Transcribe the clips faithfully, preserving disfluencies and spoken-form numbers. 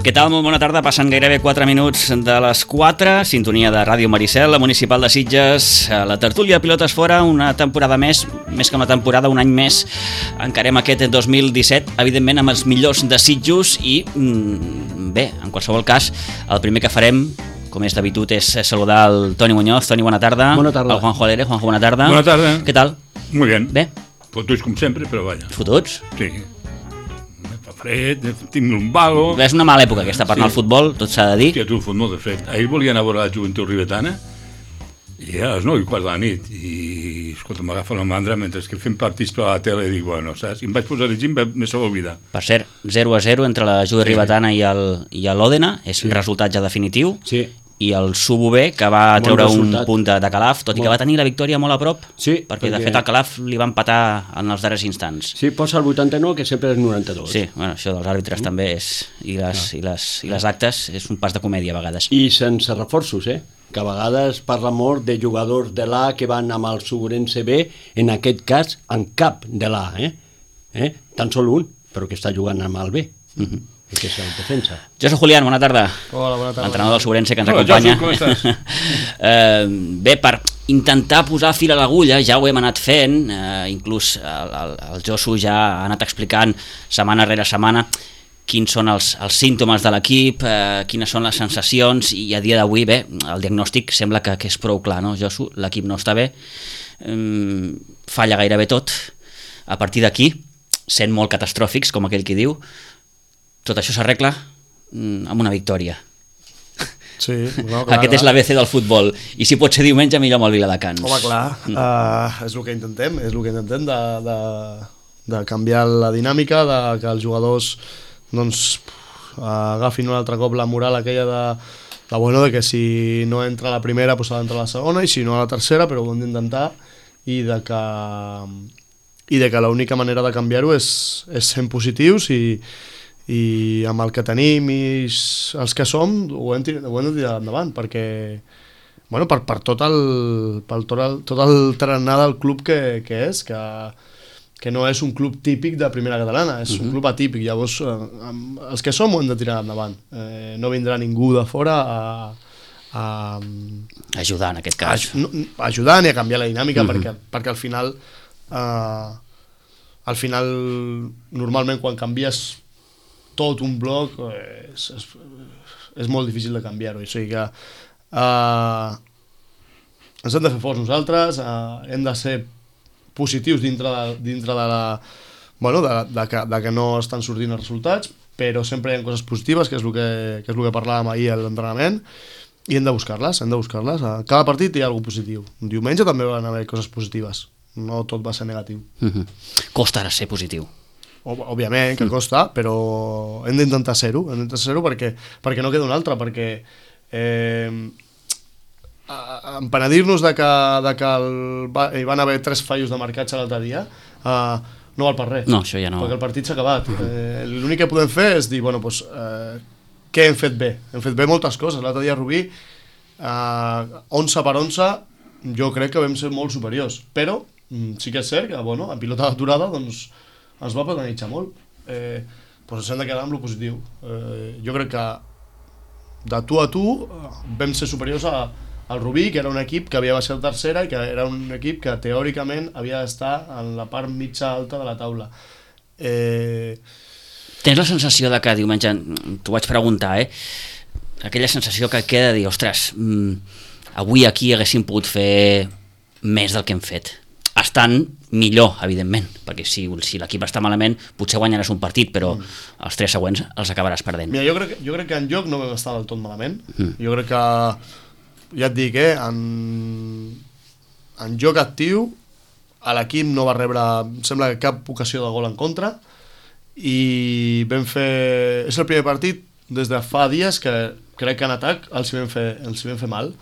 Què tal? Molt bona tarda. Passen gairebé quatre minuts de les quatre. Sintonia de Ràdio Maricel, la Municipal de Sitges. La tertúlia Pilotes Fora, una temporada més, més que una temporada, un any més. Encarem aquest dos mil disset, evidentment amb els millors desitjos i, bé, en qualsevol cas, el primer que farem, com és d'habitud, és saludar el Toni Muñoz. Toni, bona tarda. Bona tarda. El Juanjo Alere. Juanjo, bona tarda. Bona tarda. Què tal? Muy bien. Bé? Fotuts com sempre, però vaja. Fotuts? Sí. Fa fred, tinc lumbago. És una mala època aquesta per anar al futbol, tot s'ha de dir. Hòstia, tu, fot molt de fred. Ahir volia anar a veure la joventut ribetana i era a les nou i quart de la nit i, escolta, m'agafa la mandra mentre que fem partits per a la tele i dic, bueno, saps? I em vaig posar a llegir i me s'ho va oblidar. Per cert, zero a zero entre la Jove Ribetana i l'Òdena, és un resultat ja definitiu. Sí. I el Subové, que va Bon treure resultat. un punt de, de Calaf, tot i que va tenir la victòria molt a prop, Sí, perquè, perquè- de fet el Calaf li va empatar en els darrers instants. Sí, posa el vuitanta-nou, que sempre és noranta-dos. Sí, bueno, això dels àrbitres també és, i les, i, les, i les actes, és un pas de comèdia a vegades. I sense reforços, eh? Que a vegades parla molt de jugadors de l'A que van amb el Segurense B, en aquest cas, en cap de l'A, eh? eh? Tan sol un, però que està jugant amb el B. Uh-huh. Que és el defensa. Josu Julián, bona tarda. Hola, bona tarda. L'entrenador del Segurense que ens Hola, acompanya. Josu, com estàs? eh, bé, per intentar posar fil a l'agulla, ja ho hem anat fent, eh, inclús el, el, el Josu ja ha anat explicant setmana rere setmana quins són els, els símptomes de l'equip, eh, quines són les sensacions, i a dia d'avui, bé, el diagnòstic sembla que, que és prou clar, no, Josu? L'equip no està bé, eh, falla gairebé tot. A partir d'aquí, sent molt catastròfics, com aquell qui diu, tot això s'arregla mm, amb una victòria. Sí, no, clar, Aquest és l'A B C del futbol. I si pot ser diumenge, millor amb el Viladecans. Home, clar, Mm. uh, és el que intentem, és el que intentem de, de, de canviar la dinàmica, de que els jugadors doncs, uh, agafin un altre cop la moral aquella de, de, bueno, de que si no entra a la primera pues ha d'entrar a la segona i si no a la tercera, però ho hem d'intentar i de que i de que l'única manera de canviar-ho és, és sent positius i i amb el que tenim i els que som ho hem, tir- ho hem de tirar endavant perquè bueno, per, per tot el per tot el, tot el tarannà del club que, que és que, que no és un club típic de primera catalana, és uh-huh. un club atípic, llavors eh, amb, els que som ho hem de tirar endavant, eh, no vindrà ningú de fora a, a, Ajudar, en aquest a, cas. no, a ajudar ni a canviar la dinàmica Uh-huh. perquè, perquè al final eh, al final normalment quan canvies tot un bloc eh, és, és, és molt difícil de canviar-ho, o sigui que eh, ens hem de fer forts nosaltres, eh, hem de ser positius dintre de, dintre de la bueno, de, de, que, de que no estan sortint els resultats, però sempre hi ha coses positives, que és el que, que, és el que parlàvem ahir a l'entrenament, i hem de buscar-les, hem de buscar-les. A cada partit hi ha alguna positiu. Diumenge també van haver coses positives, no tot va ser negatiu. Uh-huh. Costa ara ser positiu. Òbviament que costa, però hem d'intentar ser-ho, hem d'intentar ser-ho perquè, perquè no queda un altre, perquè eh, empenedir-nos de que, de que el, va, hi van haver tres fallos de marcatge l'altre dia eh, no val per res, No, això ja no. perquè el partit s'ha acabat. Eh, l'únic que podem fer és dir, bueno, doncs, eh, què hem fet bé? Hem fet bé moltes coses. L'altre dia a Rubí, eh, onze per onze, jo crec que vam ser molt superiors, però mm, sí que és cert que, bueno, en pilota d'aturada, doncs, ens va penalitzar molt. Eh, doncs ens hem de quedar amb lo positiu. Eh, jo crec que de tu a tu eh, vam ser superiors a, al Rubí, que era un equip que havia baixat tercera i que era un equip que teòricament havia d'estar en la part mitja alta de la taula. Eh, Tens la sensació de que diumenge, t'ho vaig preguntar, eh? Aquella sensació que queda de dir, ostres, mm, avui aquí haguéssim pogut fer més del que hem fet. Estan millor, evidentment, perquè si, si l'equip està malament potser guanyaràs un partit, però mm. els tres següents els acabaràs perdent. Mira, jo crec, jo crec que en joc no vam estar del tot malament. Mm. Jo crec que, ja et dic, eh, en, en joc actiu a l'equip no va rebre, em sembla que cap ocasió de gol en contra, i vam fer, és el primer partit des de fa dies que crec que en atac els hi vam fer, els hi vam fer mal,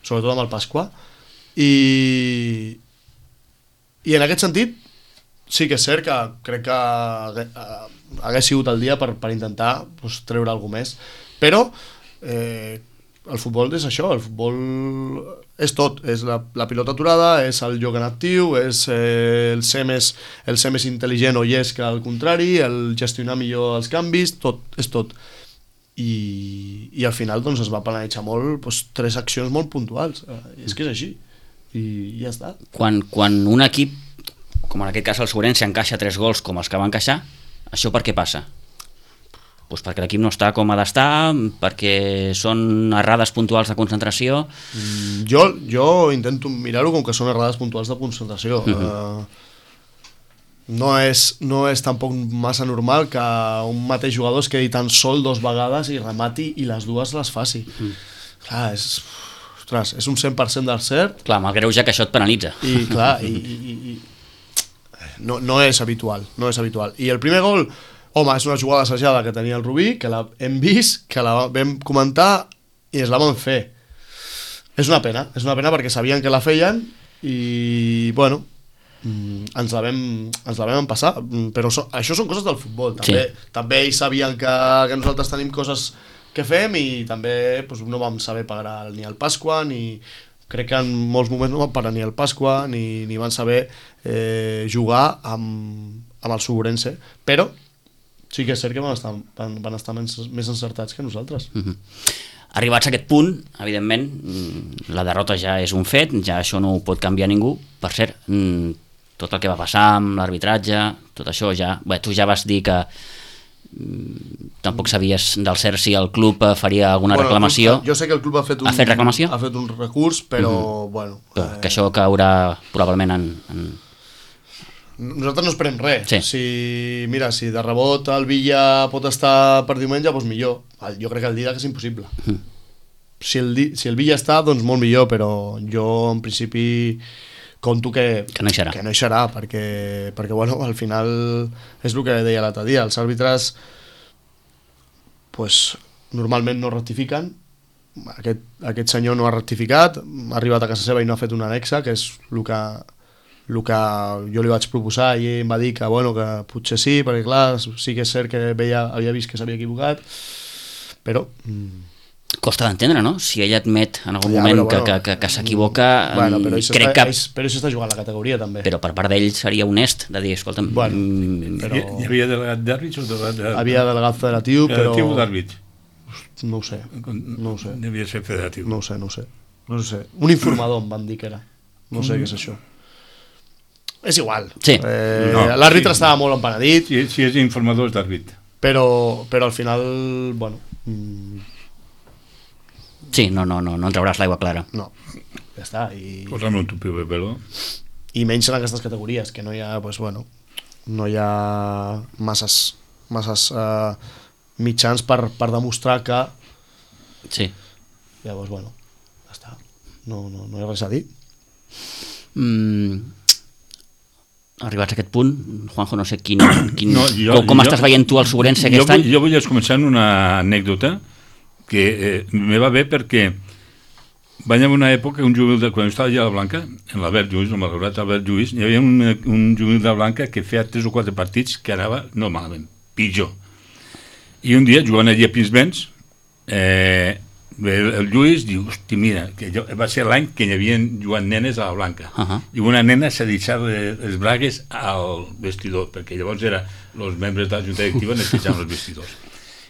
sobretot amb el Pasqua, i i en aquest sentit sí que és cert que crec que hagués sigut el dia per, per intentar pues, treure alguna més, però eh, el futbol és això, el futbol és tot, és la, la pilota aturada, és el joc en actiu, és eh, el, ser més, el ser més intel·ligent o llest que al contrari, el gestionar millor els canvis, tot, és tot. i, i al final doncs, es va penalitzar molt doncs, tres accions molt puntuals. Eh, és que és així, i ja està. Quan, quan un equip, com en aquest cas el Segurense, encaixa tres gols com els que va encaixar, això per què passa? Pues perquè l'equip no està com ha d'estar, perquè són errades puntuals de concentració. Mm, jo, jo intento mirar-ho com que són errades puntuals de concentració. Uh -huh. uh, no, és, no és tampoc massa normal que un mateix jugador es quedi tan sol dos vegades i remati i les dues les faci. Uh -huh. Clar, és, ostres, és un cent per cent del cert. Clar, amb el greuge que això et penalitza. I clar, i, i, i, no, no és habitual, no és habitual. I el primer gol, home, és una jugada assajada que tenia el Rubí, que la hem vist, que la vam comentar i es la vam fer. És una pena, és una pena perquè sabien que la feien i, bueno, ens la vam, ens la vam passar, però so, això són coses del futbol. També, sí. també ells sabien que, que nosaltres tenim coses que fem i també doncs, no vam saber pagar ni el Pasqua, ni crec que en molts moments no van parar ni el Pasqua, ni, ni van saber eh, jugar amb, amb el Segurense, però sí que és cert que van estar, van, van estar més, més encertats que nosaltres. Uh-huh. Arribats a aquest punt, evidentment, la derrota ja és un fet, ja això no ho pot canviar ningú. Per cert, tot el que va passar amb l'arbitratge, tot això ja... Bé, tu ja vas dir que tampoc sabies del cert si el club faria alguna bueno, reclamació. Club, jo sé que el club ha fet un, ha fet reclamació? Ha fet un recurs, però, uh-huh. bueno... Però eh... que això caurà probablement en... en... Nosaltres no esperem res. Sí. Si, mira, si de rebot el Villa pot estar per diumenge, doncs millor. Jo crec que el Didac és impossible. Uh-huh. Si, el, si el Villa està, doncs molt millor, però jo en principi... conto que, que no hi serà, que no hi serà perquè, perquè bueno, al final és el que deia l'altre dia, els àrbitres pues, normalment no rectifiquen, aquest, aquest senyor no ha rectificat, ha arribat a casa seva i no ha fet una anexa, que és el que, el que jo li vaig proposar i ell em va dir que, bueno, que potser sí, perquè clar, sí que és cert que veia, havia vist que s'havia equivocat, però... Costa d'entendre, no? Si ell admet en algun ja, moment però, bueno, que, que, que s'equivoca, bueno, però crec està, que... Però això està jugant la categoria, també. Però per part d'ell seria honest de dir, escolta'm... Bueno, mm, però... Hi havia delegat d'àrbits o delegat d'àrbits? Havia delegat federatiu, però... Federatiu o d'àrbits? No ho sé, no ho sé. Devia ser federatiu. No ho sé, no ho sé. No ho sé. Un informador em van dir que era. No sé mm. què és això. És igual. Sí. Eh, no, L'àrbitre sí. estava molt empenedit. Si, si és informador és d'àrbit. Però, però al final, bueno... Mm, sí, no, no, no, no en trauràs l'aigua clara. No, ja està. I... Posa'm un tupi de pelo. I menys en aquestes categories, que no hi ha, pues, bueno, no hi ha masses, masses uh, mitjans per, per demostrar que... Sí. Llavors, bueno, ja està. No, no, no hi ha res a dir. Mm... Arribats a aquest punt, Juanjo, no sé quin, quin, no, jo, com, com jo, estàs veient tu el Segurense aquest jo vull, any? Jo vull començar amb una anècdota que eh, me va bé perquè vaig en una època, un juvenil de, quan estava allà a la Blanca, en l'Albert Lluís, el malgrat Albert Lluís, hi havia un, un juvenil de la Blanca que feia tres o quatre partits que anava, no malament, pitjor. I un dia, jugant allà a Pinsbens, eh, el, el Lluís diu, hosti, mira, que jo, va ser l'any que hi havia jugant nenes a la Blanca, uh-huh. i una nena s'ha deixat les bragues al vestidor, perquè llavors era els membres de la Junta Directiva necessitaven els vestidors.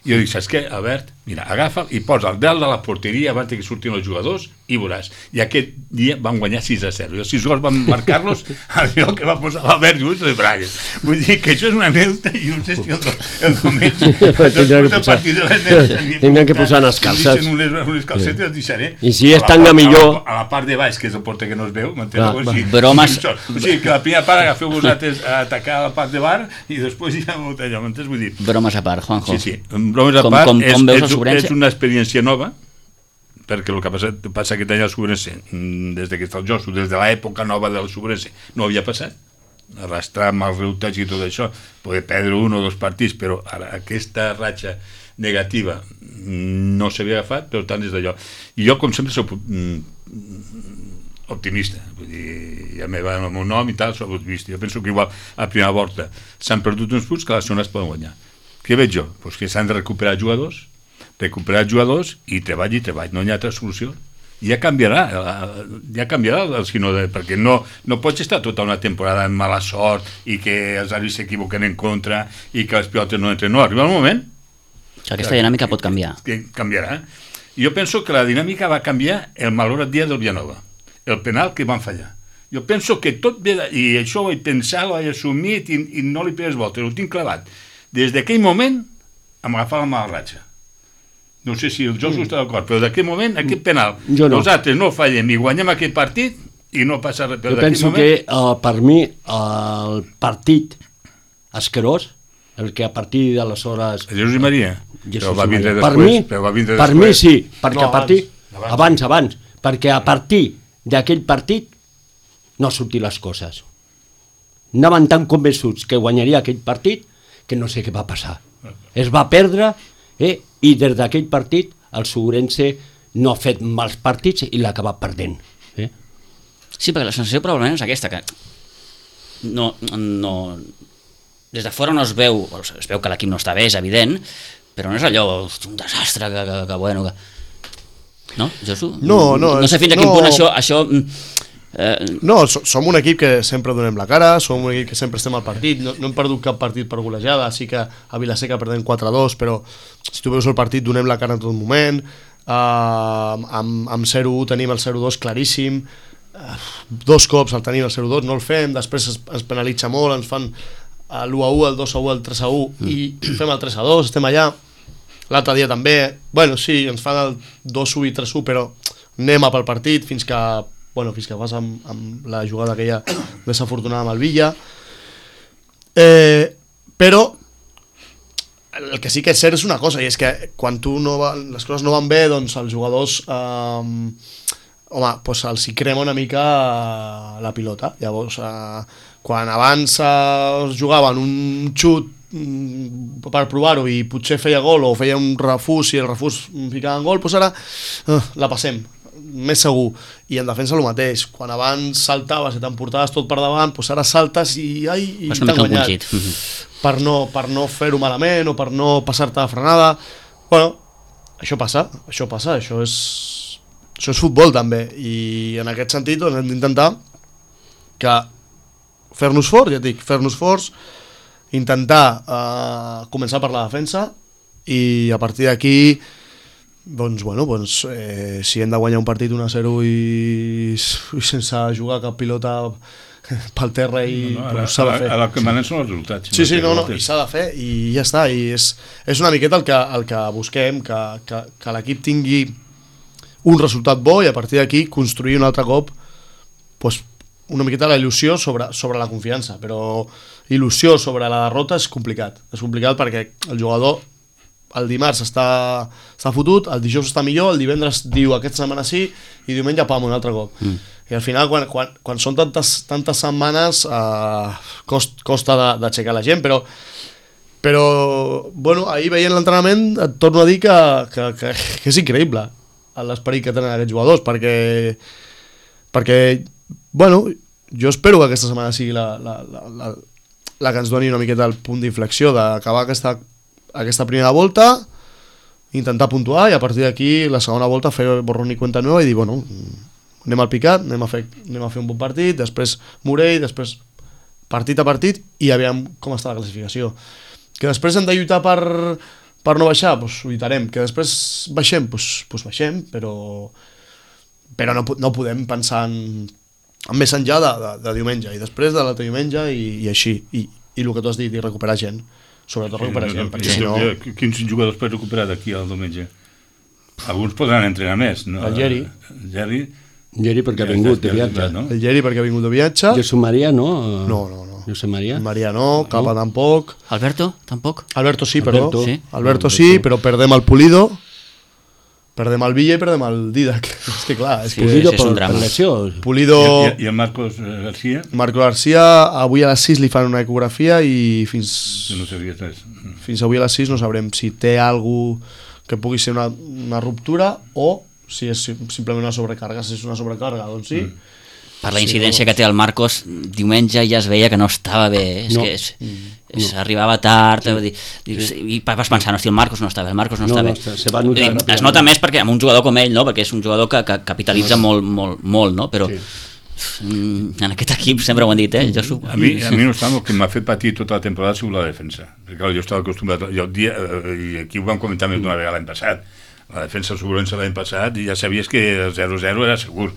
I jo dic, saps què, Albert? Mira, agafa i posa el dalt de la porteria abans que surtin els jugadors i veuràs. I aquest dia van guanyar sis a zero. I els sis gols van marcar-los allò que va posar l'Albert Lluís les bragues. Vull dir que això és una anècdota i no sé si el, el diumenge tindran que posar, tindran que posar les calces. Unes, unes calcetes els deixaré. I si és tan millor... A la part de baix, que és el porter que no es veu, m'enteneu? Ah, bromes... O sigui, que la primera part agafeu vosaltres a atacar la part de bar i després ja allò, m'entens? Vull dir... Bromes a part, Juanjo. Sí, sí. Bromes a com, part, com, és, com veus és, és una experiència nova, perquè el que passa, passa aquest any al Segurense, des que està el Josu, des de l'època nova del Segurense, no havia passat. Arrastrar amb els resultats i tot això, poder perdre un o dos partits, però ara aquesta ratxa negativa no s'havia agafat, per tant, des d'allò. I jo, com sempre, soc mm, optimista, vull dir, ja me va amb el meu nom i tal, soc optimista. Jo penso que igual a primera volta s'han perdut uns punts que a la segona es poden guanyar. Què veig jo? Pues que s'han de recuperar jugadors, recuperar jugadors i treball i treball, no hi ha altra solució. I ja canviarà, ja canviarà el sinó de, perquè no, no pots estar tota una temporada amb mala sort i que els àrbits s'equivoquen en contra i que les pilotes no entren. No, arriba el moment Aquesta dinàmica pot canviar. Que canviarà. Jo penso que la dinàmica va canviar el malaurat dia del Vilanova, el penal que van fallar. Jo penso que tot ve, de, i això ho he pensat, ho he assumit i, i no li pegues voltes, ho tinc clavat. Des d'aquell moment em agafava la mala ratxa. No sé si el Josu mm. està d'acord, però d'aquell moment, aquest penal, no. nosaltres no fallem i guanyem aquest partit i no passa res. Jo penso moment... que uh, per mi uh, el partit asquerós, el que a partir d'aleshores... Jesús i Maria? Jesús però va vindre Maria. després. Per mi, però va vindre per mi sí, perquè no, a partir... abans. Abans, abans, perquè a partir d'aquell partit no sortir les coses. Anaven tan convençuts que guanyaria aquell partit que no sé què va passar. Es va perdre eh, i des d'aquell partit el Segurense no ha fet mals partits i l'ha acabat perdent. Eh? Sí, perquè la sensació probablement és aquesta, que no, no, des de fora no es veu, es veu que l'equip no està bé, és evident, però no és allò, un desastre, que, que, que bueno... Que... No, Josu? No, no. No sé fins a quin no, punt això... això eh... No, som un equip que sempre donem la cara, som un equip que sempre estem al partit, no, no hem perdut cap partit per golejada, sí que a Vilaseca perdem quatre a dos, però si tu veus el partit donem la cara en tot moment, uh, amb, amb zero a u tenim el zero a dos claríssim, uh, dos cops el tenim el zero a dos, no el fem, després es, es penalitza molt, ens fan l'u a u, el dos a u, el tres a u mm. i fem el tres a dos, estem allà. L'altre dia també, bueno, sí, ens fan el dos a u i tres a u, però anem a pel partit fins que, bueno, fins que vas amb, amb la jugada aquella desafortunada amb el Villa. Eh, però el que sí que és cert és una cosa, i és que quan tu no va, les coses no van bé, doncs els jugadors, eh, home, doncs els hi crema una mica la pilota. Llavors, eh, quan abans eh, es jugaven un xut per provar-ho i potser feia gol o feia un refús i el refús ficava en gol, doncs ara uh, la passem, més segur. I en defensa el mateix, quan abans saltaves i t'emportaves tot per davant, doncs ara saltes i, ai, i t'han guanyat per no, per no fer-ho malament o per no passar-te de frenada. Bueno, això passa, això passa, això és, això és futbol també, i en aquest sentit doncs, hem d'intentar que fer-nos forts, ja et dic, fer-nos forts, intentar eh, començar per la defensa i a partir d'aquí doncs, bueno, doncs, eh, si hem de guanyar un partit un a zero i, i sense jugar cap pilota pel terra i no, no, doncs, s'ha de fer. El que manen són els resultats. Sí, sí, no, no, i s'ha de fer i ja està, i és, és una miqueta el que, el que busquem, que, que, que l'equip tingui un resultat bo i a partir d'aquí construir un altre cop doncs, una miqueta la il·lusió sobre, sobre la confiança, però il·lusió sobre la derrota és complicat. És complicat perquè el jugador el dimarts està, està fotut, el dijous està millor, el divendres diu aquesta setmana sí i diumenge pam, un altre cop. Mm. I al final, quan, quan, quan són tantes, tantes setmanes, eh, cost, costa d'aixecar la gent, però, però bueno, ahir veient l'entrenament et torno a dir que, que, que, que és increïble l'esperit que tenen aquests jugadors, perquè perquè bueno, jo espero que aquesta setmana sigui la, la, la, la, la que ens doni una miqueta el punt d'inflexió d'acabar aquesta, aquesta primera volta, intentar puntuar i a partir d'aquí la segona volta fer borrón i cuenta nova i dir, bueno, anem al picat, anem a fer, anem a fer un bon partit, després Morell, després partit a partit i aviam com està la classificació. Que després hem de lluitar per, per no baixar, doncs ho lluitarem. Que després baixem, doncs, doncs baixem, però, però no, no podem pensar en més enllà de, de, de diumenge i després de l'altre diumenge i, i així i, i el que tu has dit, i recuperar gent, sobretot recuperar gent, perquè si no... Quins jugadors pots recuperar d'aquí al diumenge? Alguns podran entrenar més, no? El Geri. El Geri, Geri perquè ha vingut de viatge, no? El Geri perquè ha vingut de viatge. Jesús Maria, no? No, no, no. Josep Maria? Maria no, Capa no. Tampoc. Alberto, tampoc? Sí, Alberto, perdó. sí. Alberto sí, però perdem el Pulido, perdem el Villa i perdem el Didac. És que clar, és que... Pulido és un per, drama. per lesió. Pulido... I, i el Marcos García? Marco García, avui a les sis li fan una ecografia i fins... No sabia res. Fins avui a les sis no sabrem si té algú que pugui ser una, una ruptura o si és simplement una sobrecàrrega. Si és una sobrecàrrega, doncs sí. Mm. Per la incidència sí, que té el Marcos, diumenge ja es veia que no estava bé, és no. que és, és, no. arribava tard, sí. dir, sí. i vas pensar, no, si el Marcos no està bé, el Marcos no, no està no, bé. Se, se va notar, es nota més perquè amb un jugador com ell, no? Perquè és un jugador que, que capitalitza no. molt, molt, molt, no? Però, sí. En aquest equip sempre ho han dit, eh? Jo a, mi, a mi no està, el que m'ha fet patir tota la temporada ha sigut la defensa, perquè clar, jo estava acostumbrat, jo, dia, i aquí ho vam comentar més d'una vegada l'any passat, la defensa segurament l'any passat i ja sabies que el zero zero era segur,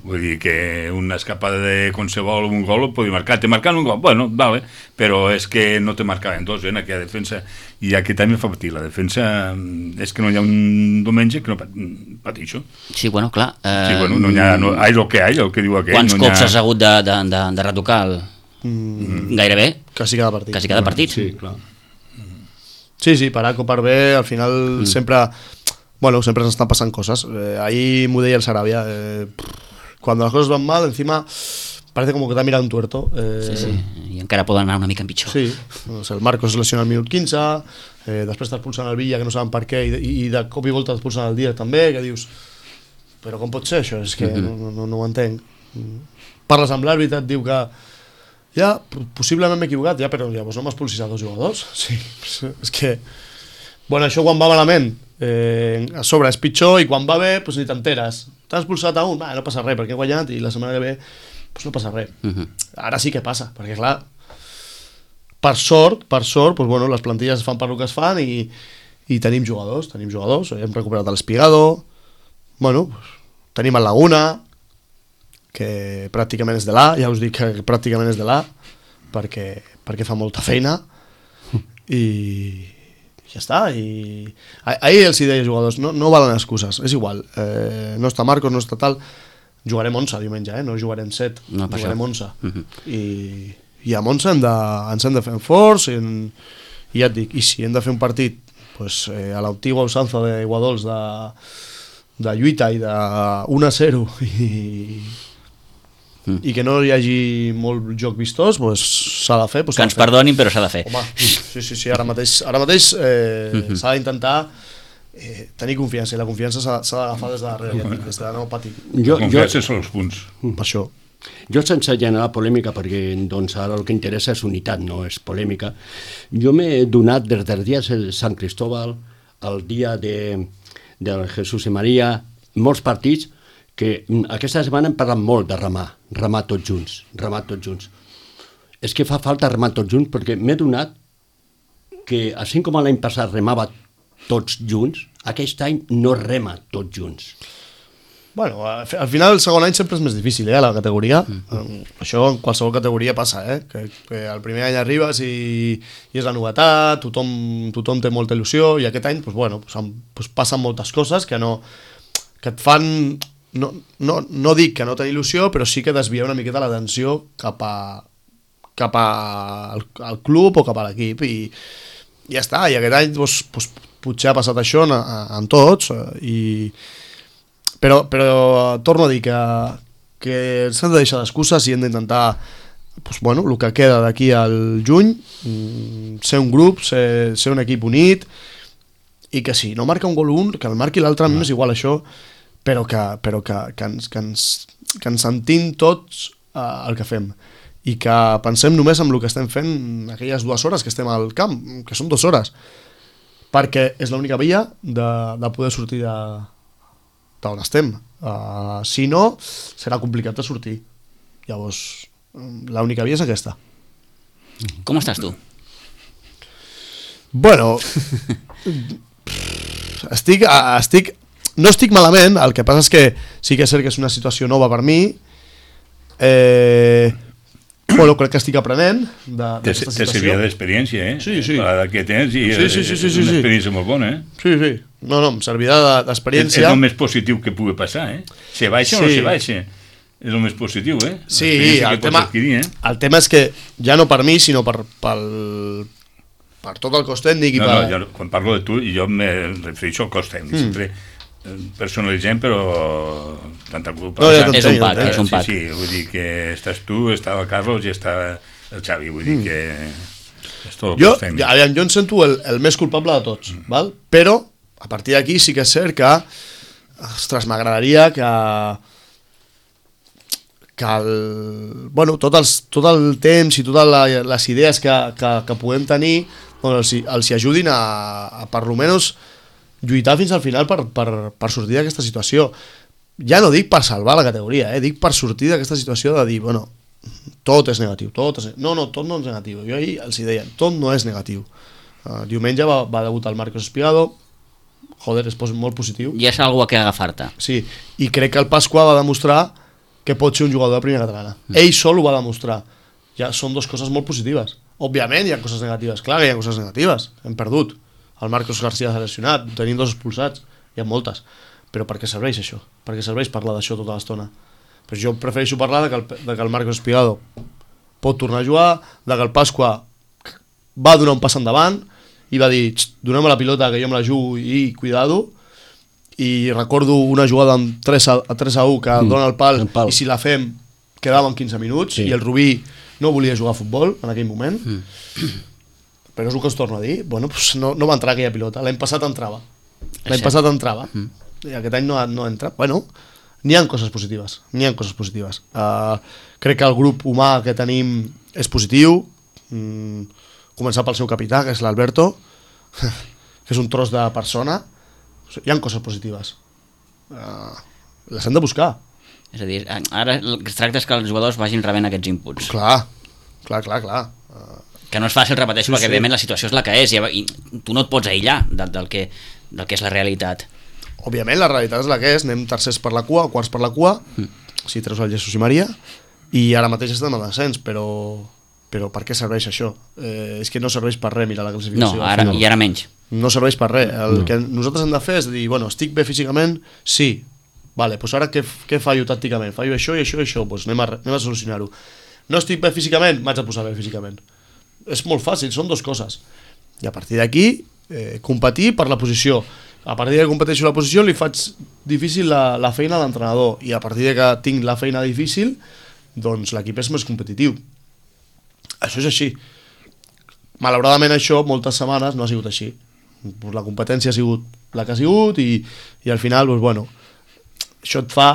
vull dir que una escapada de qualsevol un gol ho podia marcar, te marcaven un gol, bueno, vale, però és que no te marcaven dos, eh, en aquella defensa, i aquest any em fa patir, la defensa és que no hi ha un diumenge que no pateixo. Sí, bueno, clar. Eh, sí, bueno, no hi ha, no, hi ha el que hi ha, el que diu aquell. Quants no cops ha... has hagut de, de, de, de retocar el... Mm. Gairebé? Quasi cada partit. Quasi cada partit. Sí, clar. Sí, sí, per A o per B, al final mm. sempre... Bueno, sempre s'estan passant coses. Eh, ahí m'ho deia el Sarabia. Eh, cuando las cosas van mal, encima parece como que t'ha mirat un tuerto. Eh, sí, sí, i encara poden anar una mica en pitjor. Sí, o sigui, el Marcos es lesiona al minut quinze, eh, després t'expulsen el Villa, que no saben per què, i, i de cop i volta t'expulsen el Díaz també, que dius, però com pot ser això? És que mm-hmm. no, no, no ho entenc. Parles amb l'àrbitre, et diu que ja, possiblement m'he equivocat, ja, però llavors no m'expulsis a dos jugadors. Sí, és que... Bueno, això quan va malament, eh, a sobre és pitjor, i quan va bé, doncs ni t'enteres. T'has expulsat a un, va, no passa res, perquè he guanyat, i la setmana que ve doncs no passa res. Uh-huh. Ara sí que passa, perquè clar, per sort, per sort, doncs, bueno, les plantilles es fan per el que es fan, i, i tenim jugadors, tenim jugadors, hem recuperat l'Espigado, bueno, doncs, tenim el Laguna, que pràcticament és de l'A, ja us dic que pràcticament és de l'A, perquè, perquè fa molta feina, i... ja està, i ahir els hi deia jugadors, no, no valen excuses, és igual, eh, no està Marcos, no està tal, jugarem onze diumenge, eh? No jugarem set, no, jugarem onze, uh-huh. I, i amb onze hem de, ens hem de fer forts, i, en, i ja et dic, i si hem de fer un partit pues, eh, a l'antigua usanza de Guadols de, de lluita i de un a zero i, mm. i que no hi hagi molt joc vistós, pues, s'ha de fer, pues, que ens fer. Perdonin, però s'ha de fer. Home, sí, sí, sí, ara mateix, ara mateix eh, mm-hmm. s'ha d'intentar eh, tenir confiança, i la confiança s'ha, s'ha d'agafar des de darrere, ja, des de no patir. Jo, la confiança jo, són els punts. Per això. Jo, sense generar polèmica, perquè doncs, ara el que interessa és unitat, no és polèmica, jo m'he donat des dels dies de Sant Cristóbal, el dia de, de Jesús i Maria, molts partits, que aquesta setmana hem parlat molt de remar, remar tots junts, remar tots junts. És que fa falta remar tots junts, perquè m'he donat que, així com l'any passat remava tots junts, aquest any no rema tots junts. Bueno, al final el segon any sempre és més difícil, eh, a la categoria. Mm. Això en qualsevol categoria passa, eh, que, que el primer any arribes i, i és la novetat, tothom, tothom té molta il·lusió, i aquest any, pues, bueno, pues, pues passen moltes coses que no, que et fan... No, no, no dic que no tenir il·lusió, però sí que desvia una miqueta l'atenció cap a cap a, al, al club o cap a l'equip, i ja està, i aquest any doncs, doncs, potser ha passat això en, en tots, i... però, però torno a dir que, que s'han de deixar d'excuses i hem d'intentar doncs, bueno, el que queda d'aquí al juny, ser un grup, ser, ser un equip unit, i que si no marca un gol un, que el marqui l'altre, a mi m'és igual això, però que, però que, que, ens, que, ens, que ens sentim tots uh, el que fem, i que pensem només en el que estem fent aquelles dues hores que estem al camp, que són dues hores, perquè és l'única via de, de poder sortir d'on estem. Uh, si no, serà complicat de sortir. Llavors, l'única via és aquesta. Com estàs tu? Bueno, estic... estic No estic malament, el que passa és que sí que és cert que és una situació nova per mi. Eh, bueno, crec que estic aprenent d'aquesta situació. Te servia d'experiència, eh? Sí, sí. La que tens, i sí, sí, sí, sí, és sí, una sí. experiència molt bona, eh? Sí, sí. No, no, em servirà d'experiència. És, és el més positiu que pugui passar, eh? Se baixa sí. o no se baixa. És el més positiu, eh? Sí, el tema, adquirir, eh? el tema és que ja no per mi, sinó per, pel, per tot el cos tècnic. I no, per... no, jo, quan parlo de tu, jo me refereixo al cos tècnic, mm. sempre personalitzem, però tanta culpa. No, ja és un pack, és un pack. Sí, sí, vull dir que estàs tu, està el Carlos i està el Xavi, vull dir que és tot el jo, cos tècnic. Ja, jo em sento el, el més culpable de tots, mm. val? Però a partir d'aquí sí que és cert que ostres, m'agradaria que que el, bueno, tot, els, tot el temps i totes la, les idees que, que, que podem tenir doncs els, els hi ajudin a, a per almenys lluitar fins al final per, per, per sortir d'aquesta situació. ja no dic per salvar la categoria, eh? Dic per sortir d'aquesta situació de dir, bueno, tot és negatiu, tot és... no, no, tot no és negatiu. Jo ahir els deia, tot no és negatiu. Uh, diumenge va, va debutar el Marcos Espigado, joder, és molt positiu. I és algú a què agafar-te. Sí, i crec que el Pasqua va demostrar que pot ser un jugador de primera catalana. Mm. Ell sol ho va demostrar. Ja són dues coses molt positives. Òbviament hi ha coses negatives, clar que hi ha coses negatives. Hem perdut. El Marcos García s'ha lesionat, tenim dos expulsats, hi ha moltes. Però per què serveix això? Per què serveix parlar d'això tota l'estona? Però jo prefereixo parlar de que, el, de que el Marcos Espigado pot tornar a jugar, de que el Pasqua va donar un pas endavant i va dir, donem la pilota que jo me la jugo i cuidado. I recordo una jugada amb tres a u que mm, dona el pal, el pal i si la fem quedaven quinze minuts, sí. I el Rubí no volia jugar a futbol en aquell moment. Mm. Però és el que us torno a dir, bueno, pues no, no va entrar aquella pilota, l'any passat entrava. L'any passat entrava. Mm. I aquest any no, no entra. Bueno, n'hi ha coses positives, n'hi ha coses positives. Uh, crec que el grup humà que tenim és positiu, mm, començar pel seu capità, que és l'Alberto, que és un tros de persona. Hi ha coses positives. Uh, les hem de buscar. És a dir, ara el que es tracta és que els jugadors vagin rebent aquests inputs. Clar, clar, clar, clar. Uh, que no és fàcil, repeteixo, sí, perquè sí. Evidentment la situació és la que és i, i tu no et pots aïllar del, del, que, del que és la realitat. Òbviament la realitat és la que és, anem tercers per la cua, quarts per la cua, mm. si treus el Jesús i Maria, i ara mateix estem en descens, però, però per què serveix això? Eh, és que no serveix per res mirar la classificació. No, ara, i ara menys. No serveix per res. El no. que nosaltres hem de fer és dir, bueno, estic bé físicament? Sí. Vale, doncs ara què, què fallo tàcticament? Fallo això i això i això, doncs anem a, anem a solucionar-ho. No estic bé físicament? M'haig de posar bé físicament. És molt fàcil, són dues coses. I a partir d'aquí, eh, competir per la posició. A partir de que competeixo la posició li faig difícil la, la feina a l'entrenador i a partir de que tinc la feina difícil doncs l'equip és més competitiu. Això és així. Malauradament això moltes setmanes no ha sigut així. La competència ha sigut la que ha sigut i, i al final doncs, bueno, això et fa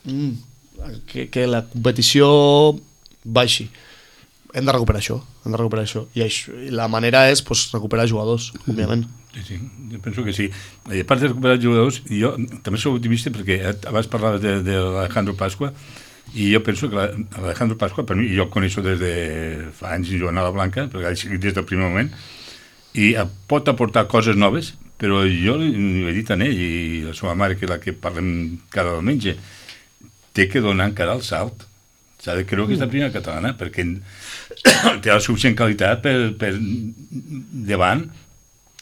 mm, que, que la competició baixi. Hem de recuperar això, hem de recuperar això. I això, la manera és pues, recuperar jugadors, òbviament. Sí, sí, jo penso que sí. I a part de recuperar jugadors, jo també soc optimista perquè abans parlava de, de l'Alejandro Pasqua i jo penso que l'Alejandro Pasqua, per mi, jo el coneixo des de fa anys jugant a la Blanca, perquè ha seguit des del primer moment, i pot aportar coses noves, però jo li he dit a ell i a la seva mare, que és la que parlem cada diumenge, té que donar encara el salt. S'ha de creure que és la primera catalana, perquè té la suficient qualitat per, per davant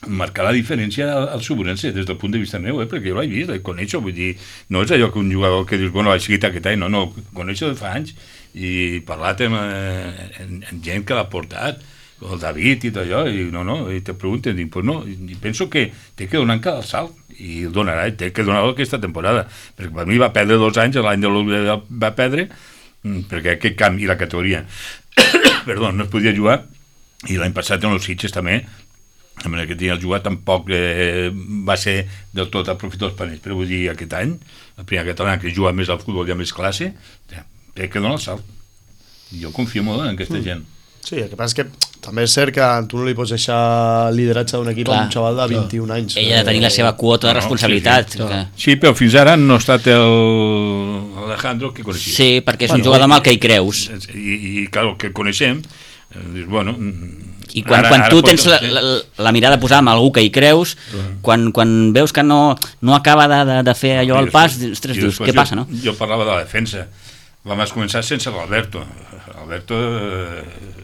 marcar la diferència al, al Suburense, des del punt de vista meu, eh? Perquè jo l'he vist, el coneixo, vull dir, no és allò que un jugador que dius, bueno, l'ha seguit aquest any, no, no, coneixo de fa anys, i parlat amb, eh, amb, amb gent que l'ha portat, el David i tot allò, i no, no, i te pregunten, dic, pues no, i penso que té que donar encara el salt, i el donarà, té que donar-lo aquesta temporada, perquè per mi va perdre dos anys, l'any de l'U va perdre, perquè aquest camp i la categoria perdó, no es podia jugar i l'any passat en els Sitges també de manera que tenia el jugar tampoc eh, va ser del tot aprofitós per ells, però vull dir aquest any el primer català que juga més al futbol i ha més classe té que donar el salt i jo confio molt en aquesta mm. gent. Sí, el que passa és que també és cert que tu no li pots deixar el lideratge d'un equip a un xaval de vint-i-un anys. Ella ha de tenir la seva quota de responsabilitat. No, sí, sí. Que... sí, però fins ara no ha estat el Alejandro que coneixia. Sí, perquè és bueno, un jugador amb el que hi creus. I, i clar, el que coneixem, dius, bueno... I quan, ara, quan tu tens la, la, la mirada posada amb algú que hi creus, uh-huh. quan, quan veus que no, no acaba de, de, de fer allò al pas, ostres, dius, què passa, no? Jo parlava de la defensa. Vam començar sense l'Alberto. Alberto... Eh,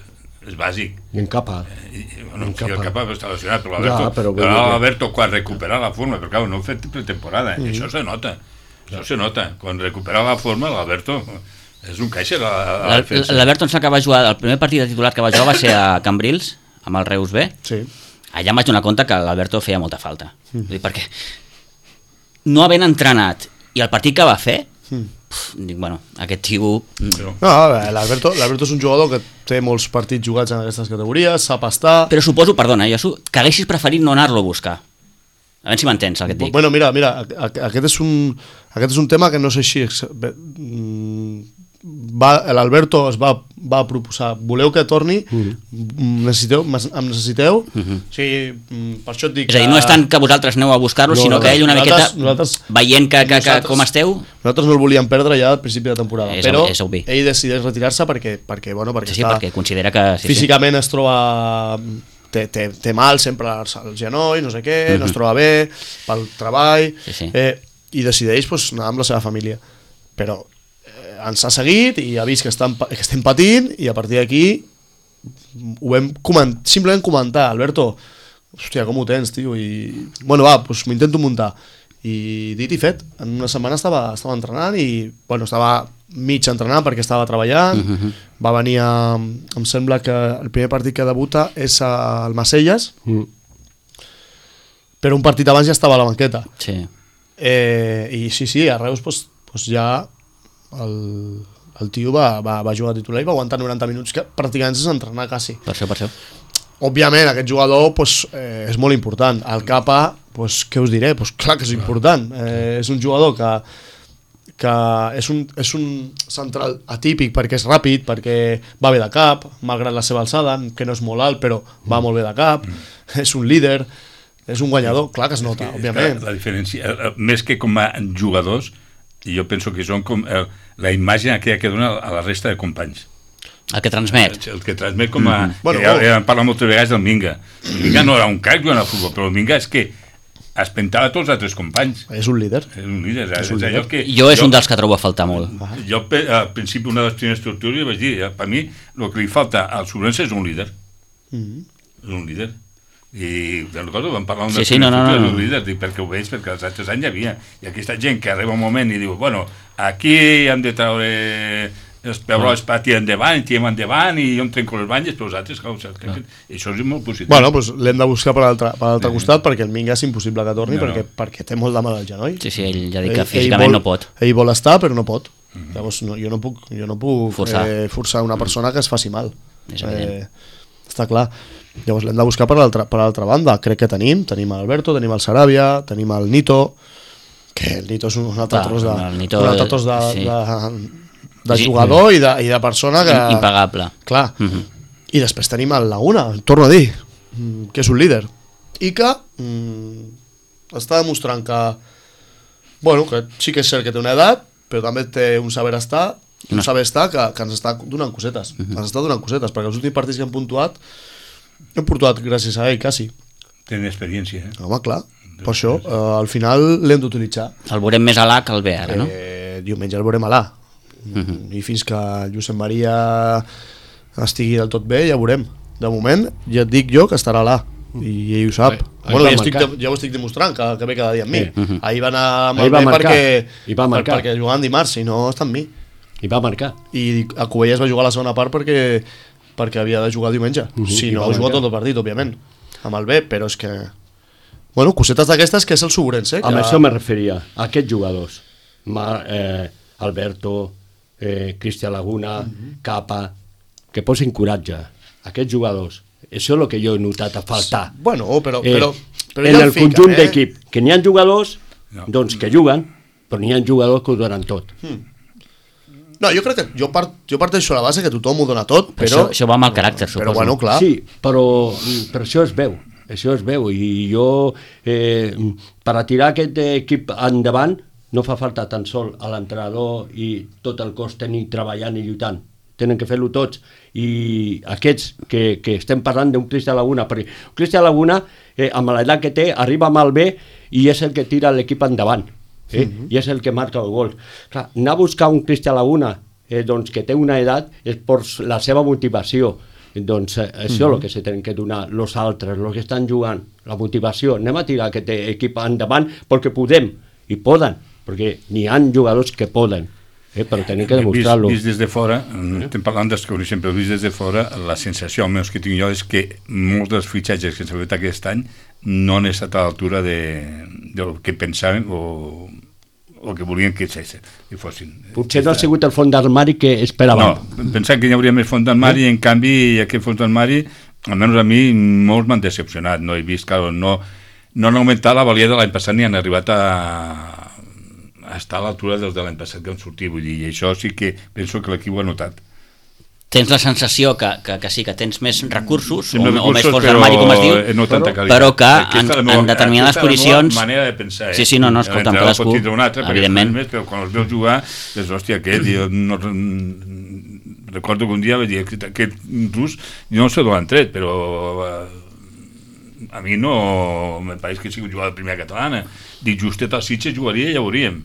és bàsic. I en capa. I, bueno, en capa. Sí, el capa està lesionat, però l'Alberto, ja, però però l'Alberto quan recupera la forma, perquè clar, no ha fet pretemporada, mm. això se nota, això se nota. Quan recupera la forma, l'Alberto és un caixa a la defensa. L'Alberto ens acaba de jugar, el primer partit de titular que va jugar va ser a Cambrils, amb el Reus B. Sí. Allà em vaig donar compte que l'Alberto feia molta falta. Mm. Vull dir, perquè no havent entrenat i el partit que va fer, mm. pf, dic, bueno, aquest tio... No, l'Alberto és un jugador que té molts partits jugats en aquestes categories, sap estar... Però suposo, perdona, jo, que haguessis preferit no anar-lo a buscar. A veure si m'entens el que et dic. Bueno, mira, mira, aquest és un, aquest és un tema que no sé si... Va, l'Alberto es va va proposar, voleu que torni, mm. necessiteu, em necessiteu, Mm-hmm. o sigui, per això et dic... És a dir, no és tant que vosaltres aneu a buscar-lo, No, sinó no, que ell una nosaltres- miqueta, nosaltres- veient que, que, que nosaltres- com esteu... Nosaltres no el volíem perdre ja al principi de temporada, És però obvi, és obvi. ell decideix retirar-se perquè, perquè, bueno, perquè Sí, sí, està, perquè considera que... Sí, físicament es troba... Té, té, té mal sempre al genoll, no sé què, Mhm. no es troba bé, pel treball, Sí, sí. Eh, i decideix pues, anar amb la seva família. Però eh, ens ha seguit i ha vist que, estan, que estem patint i a partir d'aquí ho vam coment, simplement comentar, Alberto, hòstia, com ho tens, tio? I, bueno, va, doncs m'ho intento muntar. I dit i fet, en una setmana estava, estava entrenant i, bueno, estava mig entrenant perquè estava treballant, Mhm. va venir a, em sembla que el primer partit que debuta és al Macelles, Mm. però un partit abans ja estava a la banqueta. Sí. Eh, I sí, sí, a Reus pues, pues ja el, el tio va, va, va jugar titular i va aguantar noranta minuts, que pràcticament és entrenar quasi. Per això, per això. Òbviament, aquest jugador pues, eh, és molt important. El Capa, pues, què us diré? Pues, clar que és important. Eh, és un jugador que, que és, un, és un central atípic perquè és ràpid, perquè va bé de cap, malgrat la seva alçada, que no és molt alt, però va molt bé de cap, és un líder, és un guanyador, clar que es nota, És que òbviament. La, la diferència, eh, més que com a jugadors, jo penso que són com eh, la imatge aquella que dona a la resta de companys. El que transmet. El que transmet com a... Bueno, ja, ja en parla moltes vegades del Minga. El Minga no era un crac jugant al futbol, però el Minga és que es pentava tots els altres companys. És un líder. És un líder. És, És un és allò líder. que, Jo és un dels que trobo a faltar molt. Jo pe- al principi una de les primeres estructures vaig dir, eh, per mi el que li falta al Sobrense és un líder. Mm. És un líder. I de recordo vam parlar Sí, sí, no, no, no, no. d'un líder, dic, perquè ho veig, perquè els altres anys hi havia. I aquesta gent que arriba un moment i diu, bueno, aquí hem de treure els pebrots per tirar endavant, tirem endavant i jo em trenco les banyes, però els altres, clar, saps, que, que això és molt positiu. Bueno, doncs l'hem de buscar per l'altre per l'altre costat perquè el Minga és impossible que torni No, no. perquè, perquè té molt de mal al genoll. Sí, sí, ell ja dic que físicament vol, no pot. Ell vol estar però no pot. Llavors no, jo no puc, jo no puc Forçar. Eh, forçar una persona que es faci mal. És evident. Eh, està clar. Llavors l'hem de buscar per l'altra per l'altra banda. Crec que tenim, tenim l'Alberto, tenim el Sarabia, tenim el Nito, que el Nito és un altre Clar, tros de, el Nito, un altre tros de, sí. de, de Sí. jugador i de, i de persona que... Impagable. Clar. Mhm. I després tenim el Laguna, torno a dir, mm, que és un líder. I que mm, està demostrant que, bueno, que sí que és cert que té una edat, però també té un saber estar, un No. saber estar que, que ens està donant cosetes. Ens està donant cosetes, perquè els últims partits que hem puntuat, hem puntuat gràcies a ell, quasi. Tenen experiència, eh? Home, clar. Per això, eh, al final l'hem d'utilitzar. El veurem més a l'A que el B ara, no? Eh, diumenge el veurem a l'A. Mhm. I fins que el Josep Maria estigui del tot bé, ja veurem. De moment, ja et dic jo que estarà a l'A. I ell ho sap. Ahí- ahí Bueno, va ja, estic, marcar. de- ja ho estic demostrant, que, que ve cada dia amb mi. Sí. Mhm. Ahir va anar amb Ahir el va B marcar. perquè, I va marcar. per, perquè jugàvem dimarts, i no està amb mi. I va marcar. I a Covelles va jugar la segona part perquè perquè havia de jugar diumenge. Mhm. Si I no, va ha jugat marcar. tot el partit, òbviament. Amb el B, però és que... Bueno, cosetes d'aquestes que és el Sobrense. Eh? Amb Que... això me referia a aquests jugadors. Mar, eh, Alberto, eh, Cristian Laguna, Capa, que posin coratge. Aquests jugadors. Això és el que jo he notat a faltar. Bueno, però... Eh, però, però en ja el fiquen, conjunt eh? d'equip, que n'hi ha jugadors No. doncs que juguen, però n'hi ha jugadors que ho donen tot. No, jo crec que jo, part, jo parteixo a la base que tothom ho dona tot, Però però... això, això va amb el caràcter, suposo. Però bueno, clar. Sí, però, però això es veu, això es veu, i jo, eh, per a tirar aquest equip endavant, no fa falta tan sol a l'entrenador i tot el cos tècnic treballant i lluitant, tenen que fer-lo tots, i aquests que, que estem parlant d'un Cristian Laguna, perquè Cristian Laguna, eh, amb l'edat que té, arriba amb el B i és el que tira l'equip endavant, eh? Uh -huh. i és el que marca el gol. Clar, anar a buscar un Cristian Laguna eh, doncs, que té una edat és per la seva motivació. Doncs eh, això és el que se tenen que donar els altres, els que estan jugant, la motivació. Anem a tirar aquest equip endavant perquè podem, i poden, perquè n'hi ha jugadors que poden, eh, però tenim que demostrar-lo. Vist, vist des de fora, estem parlant dels que coneixem, però vist des de fora, la sensació almenys que tinc jo és que molts dels fitxatges que s'han fet aquest any no han estat a l'altura de, del que pensaven o, o que volien que fossin. Potser no ha sigut el fons d'armari que esperàvem. No, pensant que hi hauria més fons d'armari, i en canvi aquest fons d'armari, almenys a mi, molts m'han decepcionat. No he vist, clar, no, no han augmentat la valia de l'any passat ni han arribat a, a estar a l'altura dels de l'any passat que han sortit. Vull dir, i això sí que penso que l'equip ho ha notat. tens la sensació que, que, que sí, que tens més recursos, Sí, o, més o més recursos, fons però d'armari, com es diu, no tanta qualitat. però que Aquesta en, és la meva- en determinades aquesta és la meva posicions... manera de pensar, eh? Sí, sí, no, no, escolta, amb L'entrenador cadascú, pot tindre un altre, perquè evidentment. més, però quan els veus jugar, dius, hòstia, aquest, jo no, recordo que un dia vaig dir, aquest, aquest rus, jo no sé d'on l'han tret, però eh, a mi no me pareix que sigui un jugador de primera catalana. Dic, justet al Sitges jugaria i ja veuríem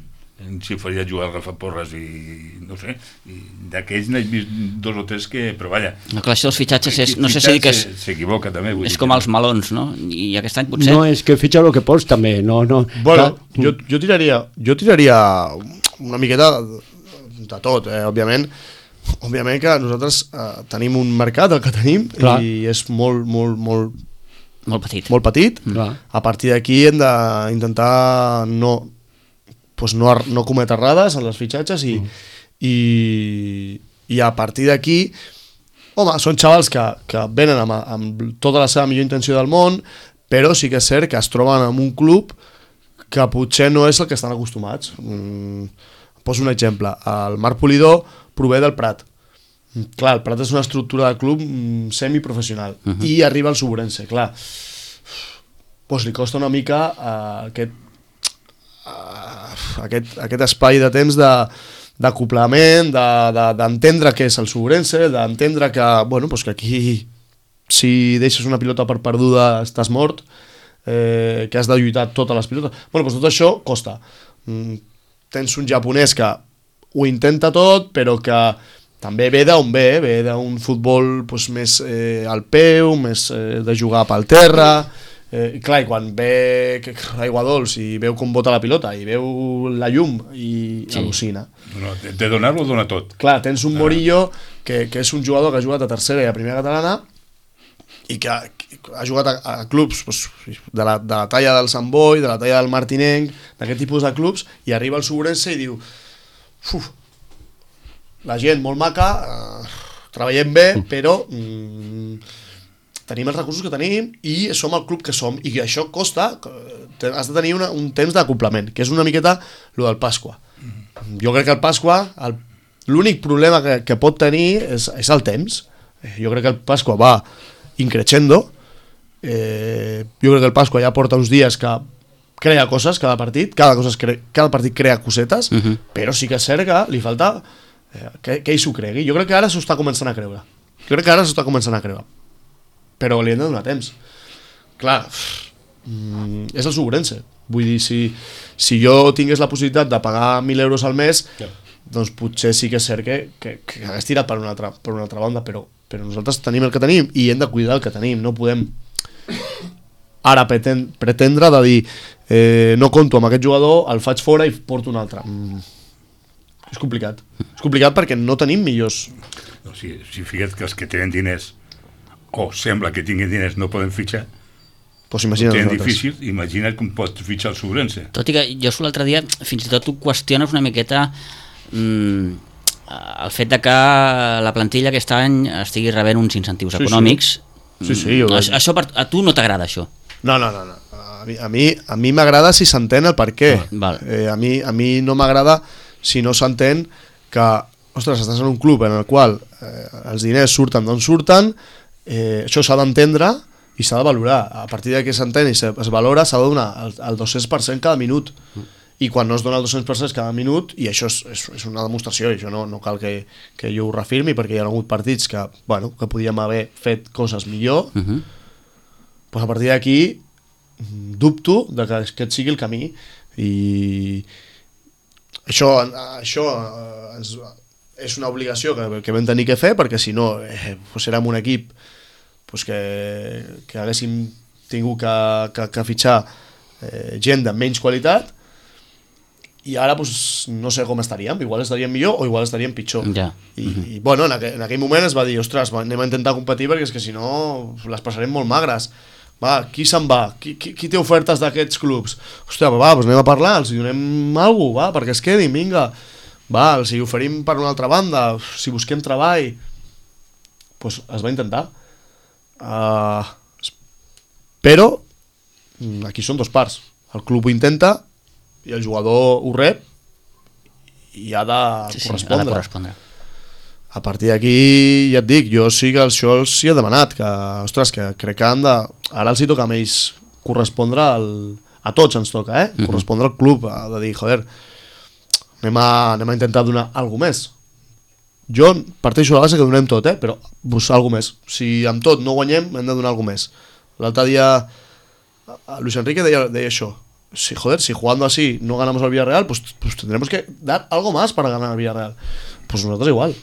si faria jugar el Rafa Porres i no sé, i d'aquells n'he vist dos o tres que, però vaja, No, clar, això dels fitxatges és, no sé si Fitxat dir que és, se- s'equivoca també, vull és dir com que- els melons, no? I aquest any potser... No, és que fitxa el que pots també, no, no. Bueno, Clar, jo, jo tiraria jo tiraria una miqueta de tot, eh? òbviament òbviament que nosaltres eh, tenim un mercat el que tenim Clar. i és molt, molt, molt, Molt petit. molt petit. Clar. A partir d'aquí hem d'intentar no, pues no, ar- no cometre errades en les fitxatges i, mm. i, i a partir d'aquí home, són xavals que, que venen amb, amb tota la seva millor intenció del món, però sí que és cert que es troben en un club que potser no és el que estan acostumats. Mm, poso un exemple. El Marc Polidor prové del Prat. Mm, Clar, el Prat és una estructura de club mm, semiprofessional uh -huh. i arriba al Suburense, clar. Pues li costa una mica uh, aquest, uh, aquest, aquest espai de temps de d'acoplament, d'entendre de, de, què és el Suburense, d'entendre que, bueno, pues que aquí si deixes una pilota per perduda estàs mort, eh, que has de lluitar totes les pilotes. Bueno, pues tot això costa. Mm, tens un japonès que ho intenta tot, però que també ve d'on ve, ve d'un futbol pues, més eh, al peu, més eh, de jugar pel terra, eh, i clar, i quan ve l'aigua dolç i veu com bota la pilota i veu la llum i Sí. al·lucina. No, de, de donar-lo, dona tot. Clar, tens un Morillo que, que és un jugador que ha jugat a tercera i a primera catalana i que ha, que ha jugat a, a clubs pues, de, la, de la talla del Sant Boi, de la talla del Martinenc, d'aquest tipus de clubs, i arriba al Suburense i diu uf, la gent molt maca, eh, treballem bé, però mm, tenim els recursos que tenim i som el club que som, i això costa, eh, has de tenir una, un temps d'acoplament, que és una miqueta lo del Pasqua. Jo crec que el Pasqua, el- l'únic problema que, que pot tenir és, és el temps. Eh, Jo crec que el Pasqua va increixendo. Eh, jo crec que el Pasqua ja porta uns dies que crea coses cada partit, cada, coses cre cada partit crea cosetes, uh -huh. però sí que és cert que li falta eh, que, que ell s'ho cregui. Jo crec que ara s'ho està començant a creure. Jo crec que ara s'ho està començant a creure. Però li hem de donar temps. Clar, mm, és el Suburense. Vull dir, si, si jo tingués la possibilitat de pagar mil euros al mes, Ja. doncs potser sí que és cert que, que, que hagués tirat per una altra, per una altra banda, però, però nosaltres tenim el que tenim i hem de cuidar el que tenim. No podem ara preten, pretendre de dir eh, no conto amb aquest jugador, el faig fora i porto un altre. Mm. És complicat. És complicat perquè no tenim millors. No, si, si figues que els que tenen diners o sembla que tinguin diners no poden fitxar, Pues ho imagina't tenen nosaltres. difícil, imagina't com pots fitxar el Sobrense. Tot i que jo l'altre dia fins i tot tu qüestiones una miqueta mm, el fet de que la plantilla aquest any estigui rebent uns incentius Sí, sí. econòmics. Sí, sí, jo Mm, ho això, això per, a tu no t'agrada això? No, no, no, no. A mi a mi a mi m'agrada si s'entén el per què. Ah, val. Eh, a mi a mi no m'agrada si no s'entén que, ostres, estàs en un club en el qual eh, els diners surten d'on surten, eh, això s'ha d'entendre i s'ha de valorar. A partir de que s'entén i se- es valora, s'ha de donar el, el dos-cents per cent cada minut. I quan no es dona el dos-cents per cent cada minut, i això és, és, és una demostració, i això no, no cal que, que jo ho reafirmi, perquè hi ha hagut partits que, bueno, que podíem haver fet coses millor, Uh -huh. pues a partir d'aquí mm, dubto de que aquest sigui el camí, i això, això eh, ens, és una obligació que, que vam tenir que fer, perquè si no eh, pues érem un equip pues que, que haguéssim tingut que, que, que fitxar eh, gent de menys qualitat, i ara pues, no sé com estaríem, igual estaríem millor o igual estaríem pitjor. Ja. I, i bueno, en aquell, en aquell moment es va dir, ostres, va, anem a intentar competir perquè és que si no les passarem molt magres. Va, qui se'n va? Qui, qui, qui té ofertes d'aquests clubs? Hòstia, va, doncs anem a parlar, els hi donem alguna cosa, va, perquè es quedin, vinga. Va, els hi oferim per una altra banda, si busquem treball. Pues es va intentar. Uh, però mm, aquí són dos parts. El club ho intenta i el jugador ho rep i ha de Sí, sí, ha de correspondre. correspondre. A partir d'aquí, ja et dic, jo sí que això els hi he demanat, que, ostres, que crec que han de... Ara els hi toca a ells correspondre al... A tots ens toca, eh? Uh-huh. Correspondre al club, a, de dir, joder, anem a, anem a intentar donar alguna més. Jo parteixo de la base que donem tot, eh? Però pues, alguna més. Si amb tot no guanyem, hem de donar alguna més. L'altre dia, Luis Enrique deia, deia això. Si, joder, si jugando así no ganamos al Villarreal, pues, pues tendremos que dar algo más para ganar al Villarreal. Pues nosotros igual.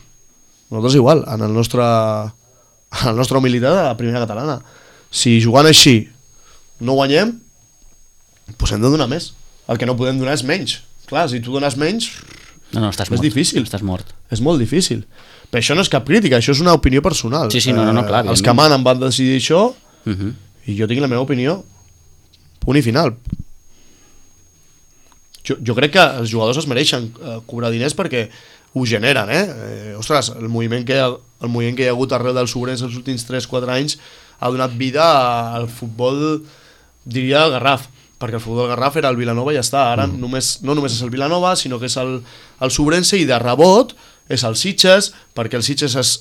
Nosotros igual, en el nostre, en la nostra humilitat a la primera catalana. Si jugant així no guanyem, pues hem de donar més. El que no podem donar és menys. Clar, si tu dones menys, no, no, estàs és mort. difícil. Estàs mort. És molt difícil. Però això no és cap crítica, això és una opinió personal. Sí, sí, no, no, no clar. Eh, els que manen van decidir això, uh-huh. i jo tinc la meva opinió. Punt i final. Jo, jo crec que els jugadors es mereixen eh, cobrar diners perquè ho generen, eh? eh ostres, el moviment, que, el moviment que hi ha hagut arreu dels Sobrencs els últims tres quatre anys ha donat vida al futbol, diria el Garraf, perquè el futbol del Garraf era el Vilanova i ja està. Ara mm. només, no només és el Vilanova, sinó que és el, el Sobrense, i de rebot és el Sitges, perquè el Sitges es,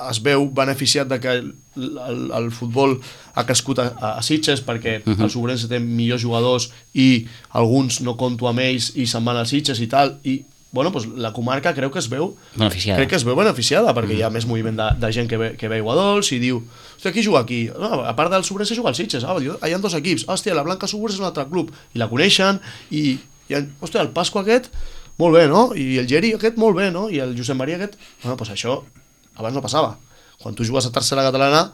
es veu beneficiat de que el, el, el futbol ha crescut a, a Sitges, perquè uh-huh. el Sobrense té millors jugadors i alguns no conto amb ells i se'n van als Sitges i tal, i bueno, pues la comarca creu que es veu beneficiada, crec que es veu beneficiada perquè mm. hi ha més moviment de, de gent que ve, que veu a Dols i diu, hòstia, qui juga aquí? No, a part del Sobrense juga al Sitges, ah, hi ha dos equips, hòstia, la Blanca Suburs és un altre club, i la coneixen, i, i hòstia, el Pasqua aquest, molt bé, no? I el Geri aquest, molt bé, no? I el Josep Maria aquest, bueno, pues això abans no passava. Quan tu jugues a tercera catalana,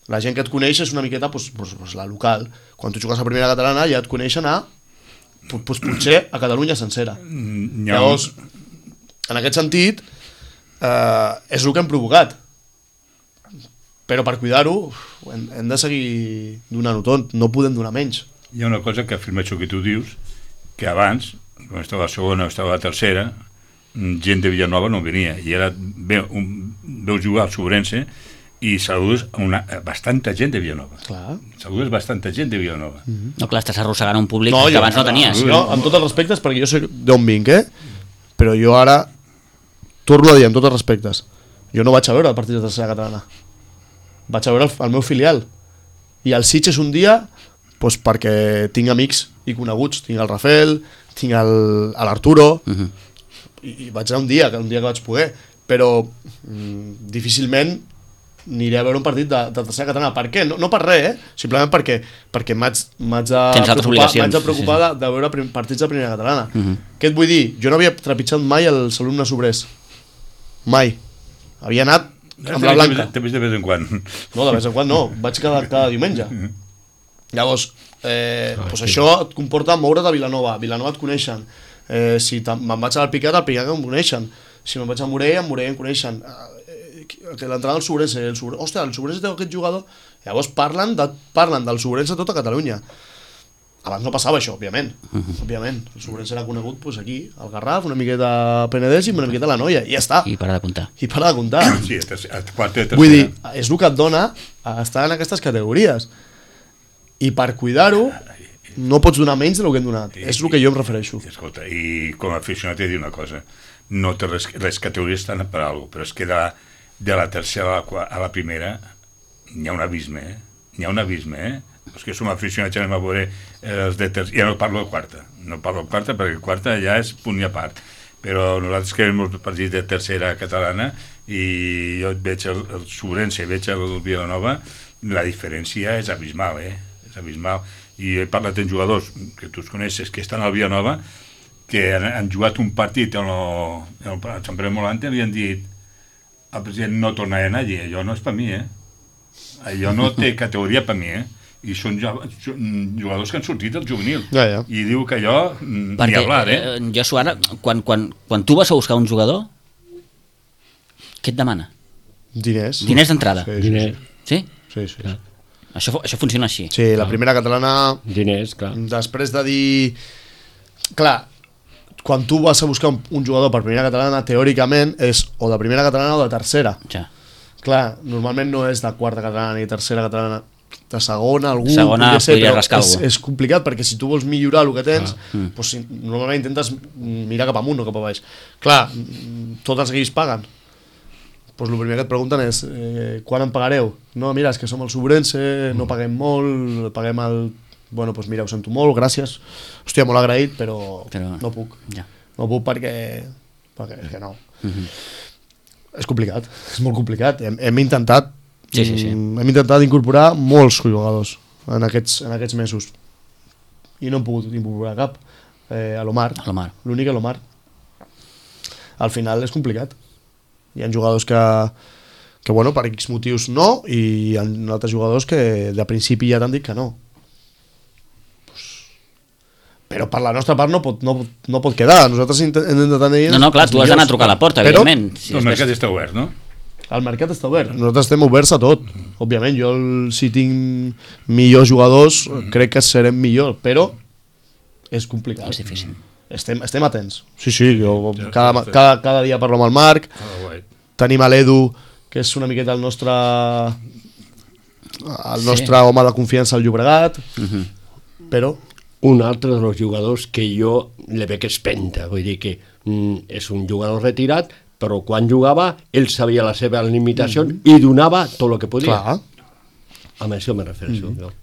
la gent que et coneix és una miqueta pues, pues, pues, la local. Quan tu jugues a primera catalana ja et coneixen a pues, potser a Catalunya sencera. No. Llavors, en aquest sentit, eh, és el que hem provocat. Però per cuidar-ho hem, hem de seguir donant-ho tot, no podem donar menys. Hi ha una cosa que afirma això que tu dius, que abans, quan estava a la segona o estava a la tercera, gent de Villanova no venia, i ara veu, un, veu jugar al Sobrense i saludes una, bastanta gent de Villanova. Clar. Saludes bastanta gent de Villanova. Mm-hmm. No, clar, estàs arrossegant un públic no, que jo, abans no tenies. Jo, amb tots els respectes, perquè jo sé d'on vinc, eh? Però jo ara torno a dir amb tots els respectes, jo no vaig a veure el partit de tercera catalana, vaig a veure el, el meu filial, i el Sitges un dia pues, perquè tinc amics i coneguts, tinc el Rafael, tinc l'Arturo, uh-huh. i, i vaig anar un dia, un dia que vaig poder, però mm, difícilment aniré a veure un partit de, de tercera catalana. Per què? No, no per res, eh? Simplement perquè, perquè m'haig de preocupar, de, preocupar sí, sí. de, de veure prim, partits de primera catalana. Uh-huh. Què et vull dir? Jo no havia trepitjat mai els alumnes obrers. Mai. Havia anat amb la Blanca. T'he vist de vez en quan. No, de vez en quan no. Vaig cada, cada diumenge. Llavors, eh, ah, pues sí. Això et comporta moure't a Vilanova. Vilanova et coneixen. Eh, si me'n vaig al Picat, al Picat em coneixen. Si me'n vaig a Morell, a Morell em coneixen. Que l'entrada del Sobrense, el Sobrense, hòstia, el Sobrense té aquest jugador, llavors parlen, de, parlen del Sobrense a tota Catalunya. Abans no passava això, òbviament, uh-huh. òbviament. El Sobrense era conegut pues, aquí, al Garraf, una miqueta a Penedès i una miqueta a la Noia, i ja està. I para de comptar. I para de comptar. Sí, a quarta de tercera. Vull dir, és el que et dona a estar en aquestes categories. I per cuidar-ho, no pots donar menys del que hem donat. I, és el que jo em refereixo. I, escolta, i com a aficionat he de dir una cosa, no té res, les categories estan per alguna cosa, però és que de, de la tercera a la, a la primera n'hi ha un abisme, eh? N'hi ha un abisme, eh? És que som aficionats, anem a veure els de tercera, ja no parlo de quarta, no parlo de quarta perquè quarta ja és punt i a part, però nosaltres que veiem els partits de tercera catalana i jo veig el, el Sobrense, veig el Vilanova, la diferència és abismal, eh? És abismal. I he parlat amb jugadors que tu els coneixes que estan al Vilanova que han, han jugat un partit en el, en el Sant Pere Molante i li han dit el president no tornarà a anar allí, allò no és per mi, eh? Allò no té categoria per mi, eh? I són jugadors que han sortit del juvenil. Ja, ja. I diu que allò ni perquè, hablar, eh? eh jo, Suara, quan, quan, quan tu vas a buscar un jugador, què et demana? Diners. Diners d'entrada. Sí, Diners. Sí? Sí, sí. sí. Això, això funciona així. Sí, la primera catalana... Diners, clar. Després de dir... Clar, quan tu vas a buscar un, un jugador per primera catalana, teòricament és o de primera catalana o de tercera. Ja. Clar, normalment no és de quarta catalana ni tercera catalana, de segona, algú... Segona podria ser, podria però rascar és, algú. és complicat perquè si tu vols millorar el que tens, Ah. Mm. doncs, normalment intentes mirar cap amunt o cap a baix. Clar, tots els equips paguen. pues el primer que et pregunten és eh, quan em pagareu? No, mira, és que som el Sobrense, no paguem molt, paguem el... Bueno, doncs pues mira, ho sento molt, gràcies. Hòstia, molt agraït, però, però... no puc. Ja. No puc perquè... perquè és que no. Uh-huh. És complicat, és molt complicat. Hem, hem intentat sí, sí, sí. hem intentat incorporar molts jugadors en aquests, en aquests mesos. I no hem pogut incorporar cap. Eh, a l'Omar. L'únic a l'Omar. Al final és complicat. Hi ha jugadors que, que bueno, per X motius no, i hi ha altres jugadors que de principi ja t'han dit que no. Pues, però per la nostra part no pot, no, no pot quedar. Nosaltres hem intentat... No, no, clar, tu has d'anar a trucar a la porta, però, evidentment. Si el mercat està obert, no? El mercat està obert. Nosaltres estem oberts a tot. Òbviament, jo si tinc millors jugadors, crec que serem millor, però és complicat. És difícil. Estem, estem atents. Sí, sí, jo cada, cada, cada dia parlo amb el Marc, tenim a l'Edu, que és una miqueta el nostre el nostre sí. home de confiança al Llobregat, uh-huh. però... Un altre dels jugadors que jo le veig espenta, vull dir que mm, és un jugador retirat, però quan jugava ell sabia la seva limitació mm-hmm. i donava tot el que podia. Clar. Amb això me refereixo. Mm-hmm. No?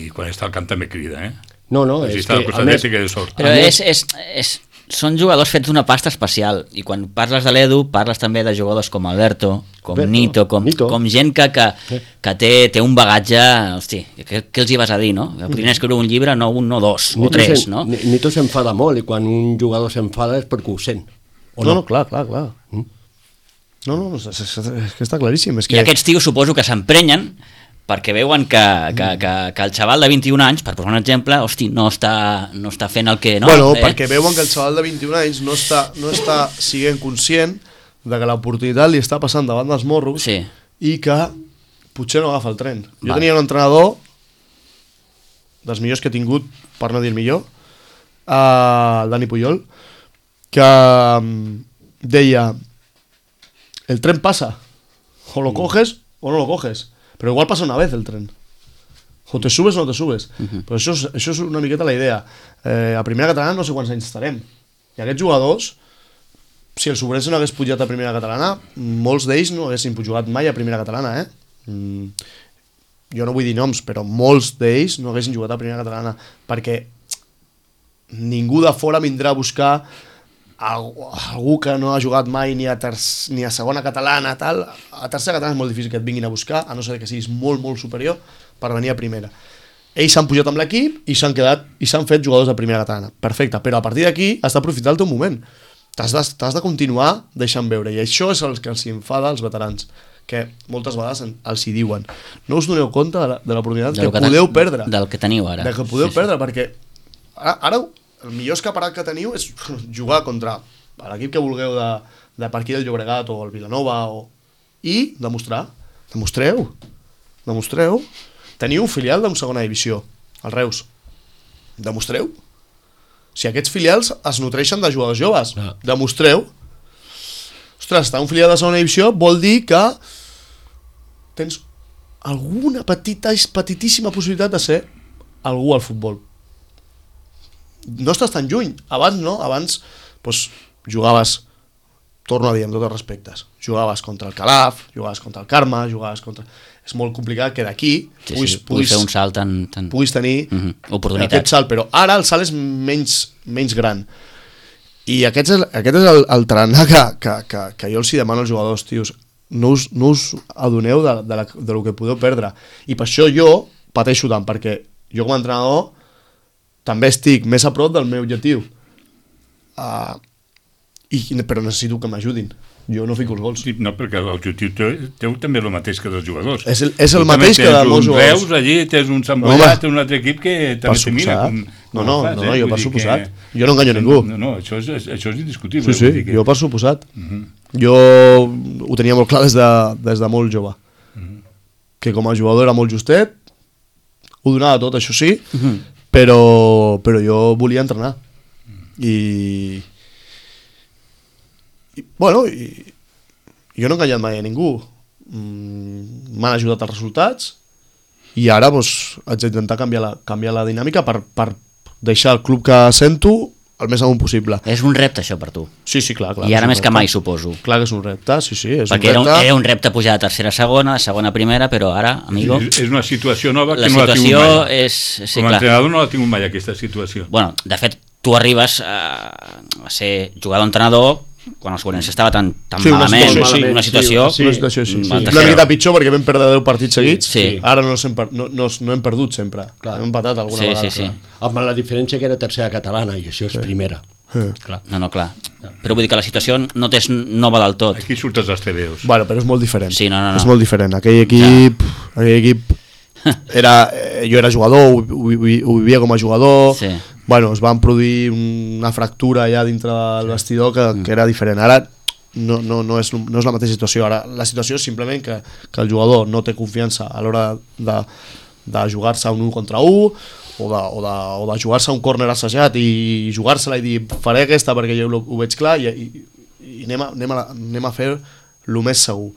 I quan està al camp també crida, eh? No, no, si és que... A més, que de sort. Però és, és, és, són jugadors fets d'una pasta especial, i quan parles de l'Edu, parles també de jugadors com Alberto, com Alberto, Nito, com, Nito, com gent que, que, que té, té un bagatge... Hosti, què, què els hi vas a dir, no? Podrien escriure un llibre, no un, no dos, Nito o tres, no? Nito s'enfada molt, i quan un jugador s'enfada és perquè ho sent. O no, no, no, clar, clar, clar. Mm? No, no, és, és, és que està claríssim. És que... I aquests tios suposo que s'emprenyen perquè veuen que, que, que, que el xaval de vint-i-un anys, per posar un exemple, hosti, no està, no està fent el que... No, bueno, eh? Perquè veuen que el xaval de vint-i-un anys no està, no està siguent conscient de que l'oportunitat li està passant davant dels morros sí. i que potser no agafa el tren. Jo vale. tenia un entrenador dels millors que he tingut, per no dir el millor, uh, el Dani Puyol, que um, deia el tren passa, o lo coges o no lo coges. Pero igual pasa una vez el tren. O te subes o no te subes. Uh-huh. Però això és, això és una miqueta la idea. Eh, a primera catalana no sé quants anys estarem. I aquests jugadors, si el Sobrense no hagués pujat a primera catalana, molts d'ells no haguessin jugat mai a primera catalana, eh? Mm, jo no vull dir noms, però molts d'ells no haguessin jugat a primera catalana, perquè ningú de fora vindrà a buscar algú que no ha jugat mai ni a, terç, ni a segona catalana, tal. A tercera catalana és molt difícil que et vinguin a buscar, a no ser que siguis molt, molt superior per venir a primera. Ells s'han pujat amb l'equip i s'han quedat i s'han fet jugadors de primera catalana. Perfecte, però a partir d'aquí has d'aprofitar el teu moment. T'has de, t'has de continuar deixant veure, i això és el que els enfada als veterans, que moltes vegades els hi diuen. No us doneu compte de, la, de l'oportunitat que, que podeu perdre. Del que teniu ara. Del que podeu sí, perdre, sí. perquè ara... ara el millor escaparat que teniu és jugar contra l'equip que vulgueu de, de per aquí del Llobregat o el Vilanova o... i demostrar, demostreu demostreu teniu un filial d'una segona divisió, el Reus, demostreu si aquests filials es nutreixen de jugadors joves, ah. demostreu. Ostres, estar un filial de segona divisió vol dir que tens alguna petita, petitíssima possibilitat de ser algú al futbol. No estàs tan lluny. Abans no, abans doncs, jugaves, torno a dir amb tots els respectes, jugaves contra el Calaf, jugaves contra el Carme, jugaves contra... És molt complicat que d'aquí sí, puguis, sí, puguis fer un salt tan, tan... puguis tenir uh-huh. oportunitat. Aquest salt, però ara el salt és menys, menys gran. I aquest és, aquest és el, el tarannà que, que, que, que jo els hi demano als jugadors, tios, no us, no us adoneu de, de, la, de lo que podeu perdre. I per això jo pateixo tant, perquè jo com a entrenador també estic més a prop del meu objectiu. Uh, i, però necessito que m'ajudin. Jo no fico els gols. Sí, no, perquè l'objectiu teu, teu també és el mateix que dels jugadors. És el, és el mateix que de molts jugadors. Reus, allí tens un Sant Bollat, tens un altre equip que també te mira. Com, no, no, fas, no, eh? jo per suposat. Que... Jo no enganyo ningú. No, no, això és, això és indiscutible. Sí, sí, que... jo per suposat. Uh-huh. Jo ho tenia molt clar des de, des de molt jove. Uh-huh. Que com a jugador era molt justet, ho donava tot, això sí, uh-huh. però, però jo volia entrenar. I... I bueno, i... jo no he enganyat mai a ningú. Mm, m'han ajudat els resultats i ara doncs, haig d'intentar canviar la, canviar la dinàmica per, per deixar el club que sento el més amunt possible. És un repte, això, per tu. Sí, sí, clar. clar I ara més que repte. mai, suposo. Clar que és un repte, sí, sí, és Perquè un era repte. un, era un repte pujar de tercera a segona, de segona a primera, però ara, amigo, És, és una situació nova que la no la tinc situació mai. és... Sí, Com a clar. entrenador no la tinc mai, aquesta situació. Bueno, de fet, tu arribes a, a ser jugador-entrenador quan el Sobrense estava tan, tan Sí, una malament, situació, sí, una situació... sí, Una situació així, sí. Van Una tercera. miqueta pitjor perquè vam perdre deu partits seguits, Sí. ara no, hem, per- no, no, no hem perdut sempre, Clar. hem empatat alguna Sí, vegada. sí, sí. Amb la diferència que era tercera catalana i això és primera. Clar. No, no, clar. Però vull dir que la situació no és nova del tot. Aquí surten els T V Os. Bueno, però és molt diferent. Sí, no, no, no. És molt diferent. Aquell equip, ja. aquell equip era, eh, jo era jugador, ho, ho, ho vivia com a jugador. Sí. Bueno, es van produir una fractura allà dintre del vestidor que, que era diferent. Ara no, no, no, és, no és la mateixa situació. Ara la situació és simplement que, que el jugador no té confiança a l'hora de, de jugar-se un un contra un o de, o de, o de jugar-se un córner assajat i jugar-se-la i dir faré aquesta perquè jo ho, ho veig clar i, i, i anem, a, anem, a, anem a fer el més segur.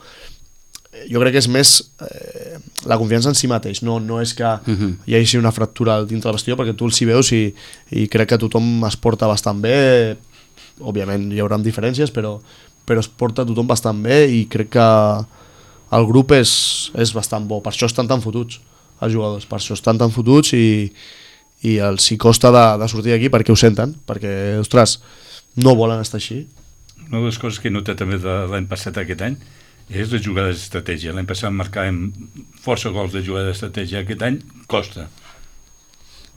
Jo crec que és més eh, la confiança en si mateix, no, no és que uh-huh. hi hagi una fractura dintre del vestidor, perquè tu els hi veus i, i crec que tothom es porta bastant bé, òbviament hi haurà diferències, però, però es porta tothom bastant bé i crec que el grup és, és bastant bo, per això estan tan fotuts els jugadors, per això estan tan fotuts i, i els hi costa de, de sortir d'aquí perquè ho senten, perquè, ostres, no volen estar així. Una de les coses que he notat també de l'any passat a aquest any és les jugades d'estratègia. L'any passat marcàvem força gols de jugada d'estratègia, aquest any costa.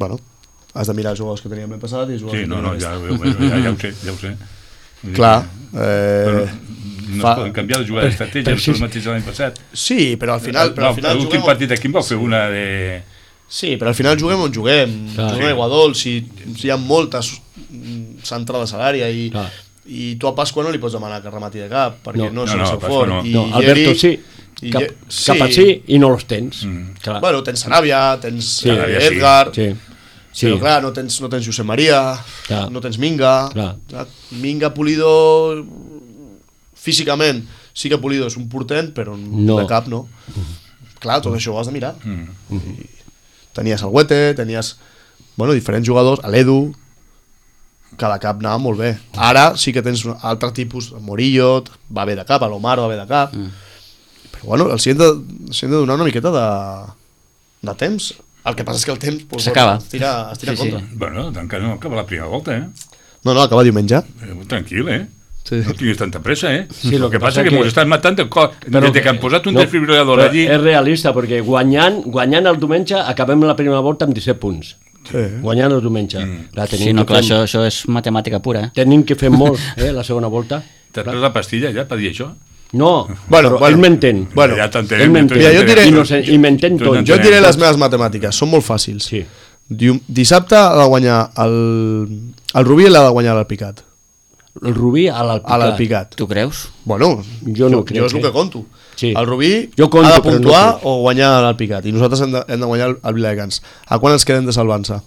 Bueno, has de mirar els jugadors que teníem l'any passat i els jugadors Sí, que no, teníem no, ja, aquest. ja, ja, ja ho sé, ja ho sé. Vull dir Clar, que- eh, Però no fa- es poden canviar les jugades d'estratègia, però el sí. mateix de l'any passat. sí, però al final, però al final L'últim juguem... partit aquí em vau fer una de... Sí, però al final juguem on juguem, Clar. juguem a Iguadol, si, si hi ha moltes mm, centrades a l'àrea i, Clar. i tu a Pasqua no li pots demanar que remati de cap, perquè No. no, és No, el no, seu a Pasqua fort. no. I No, Yeri- Alberto sí, i cap, Ye- cap a sí i no los tens. Mm. Clar. Bueno, tens Sanàvia, tens Sí. eh, Saràbia, sí. Edgar, Sí. Sí. però clar, no tens, no tens Josep Maria, Clar. no tens Minga. Clar. Clar, Minga, Pulido, físicament sí que Pulido és un portent, però No. de cap no. Clar, tot això ho has de mirar. Mm. I tenies el Huete, tenies bueno, diferents jugadors, a l'Edu, cada cap anava molt bé. Ara sí que tens un altre tipus, el Morillo va bé de cap, l'Omar va bé de cap, mm. però bueno, els hi hem de, els hi hem de donar una miqueta de, de temps. El que passa és que el temps pues, S'acaba. bueno, es tira, es tira Sí, sí, sí. en contra. Bueno, encara no acaba la primera volta, eh? No, no, acaba diumenge. Eh, Tranquil, eh? Sí. No tinguis tanta pressa, eh? Sí, el que passa és que, que ens estan matant de cor. Però que, que han posat un no, desfibrilador però allí... És realista, perquè guanyant, guanyant el diumenge acabem la primera volta amb disset punts. Sí. Guanyant el diumenge. Mm. Clar, tenim, Sí, no, que clar, fer, això, això és matemàtica pura, eh? tenim que fer molt, eh, la segona volta. T'has pres la pastilla ja per dir això? No, Bueno, però bueno. ell m'entén. Bueno, ja t'entenem. ell m'entén. Mira, jo et diré- I, no sé, i m'entén Tu tot. n'entenem. Jo et diré les meves matemàtiques, són molt fàcils. Sí. Diu, dissabte ha de guanyar el, el Rubí l'ha de guanyar l'Alpicat. El Rubí a A l'Alpicat. l'Alpicat. Tu creus? Bueno, Jo no crec, jo és el eh? que conto. Sí. El Rubí Jo conto, ha de però no puntuar crec. o guanyar l'Alpicat. I nosaltres hem de, hem de guanyar el, el Viladecans. A quan ens quedem de salvança?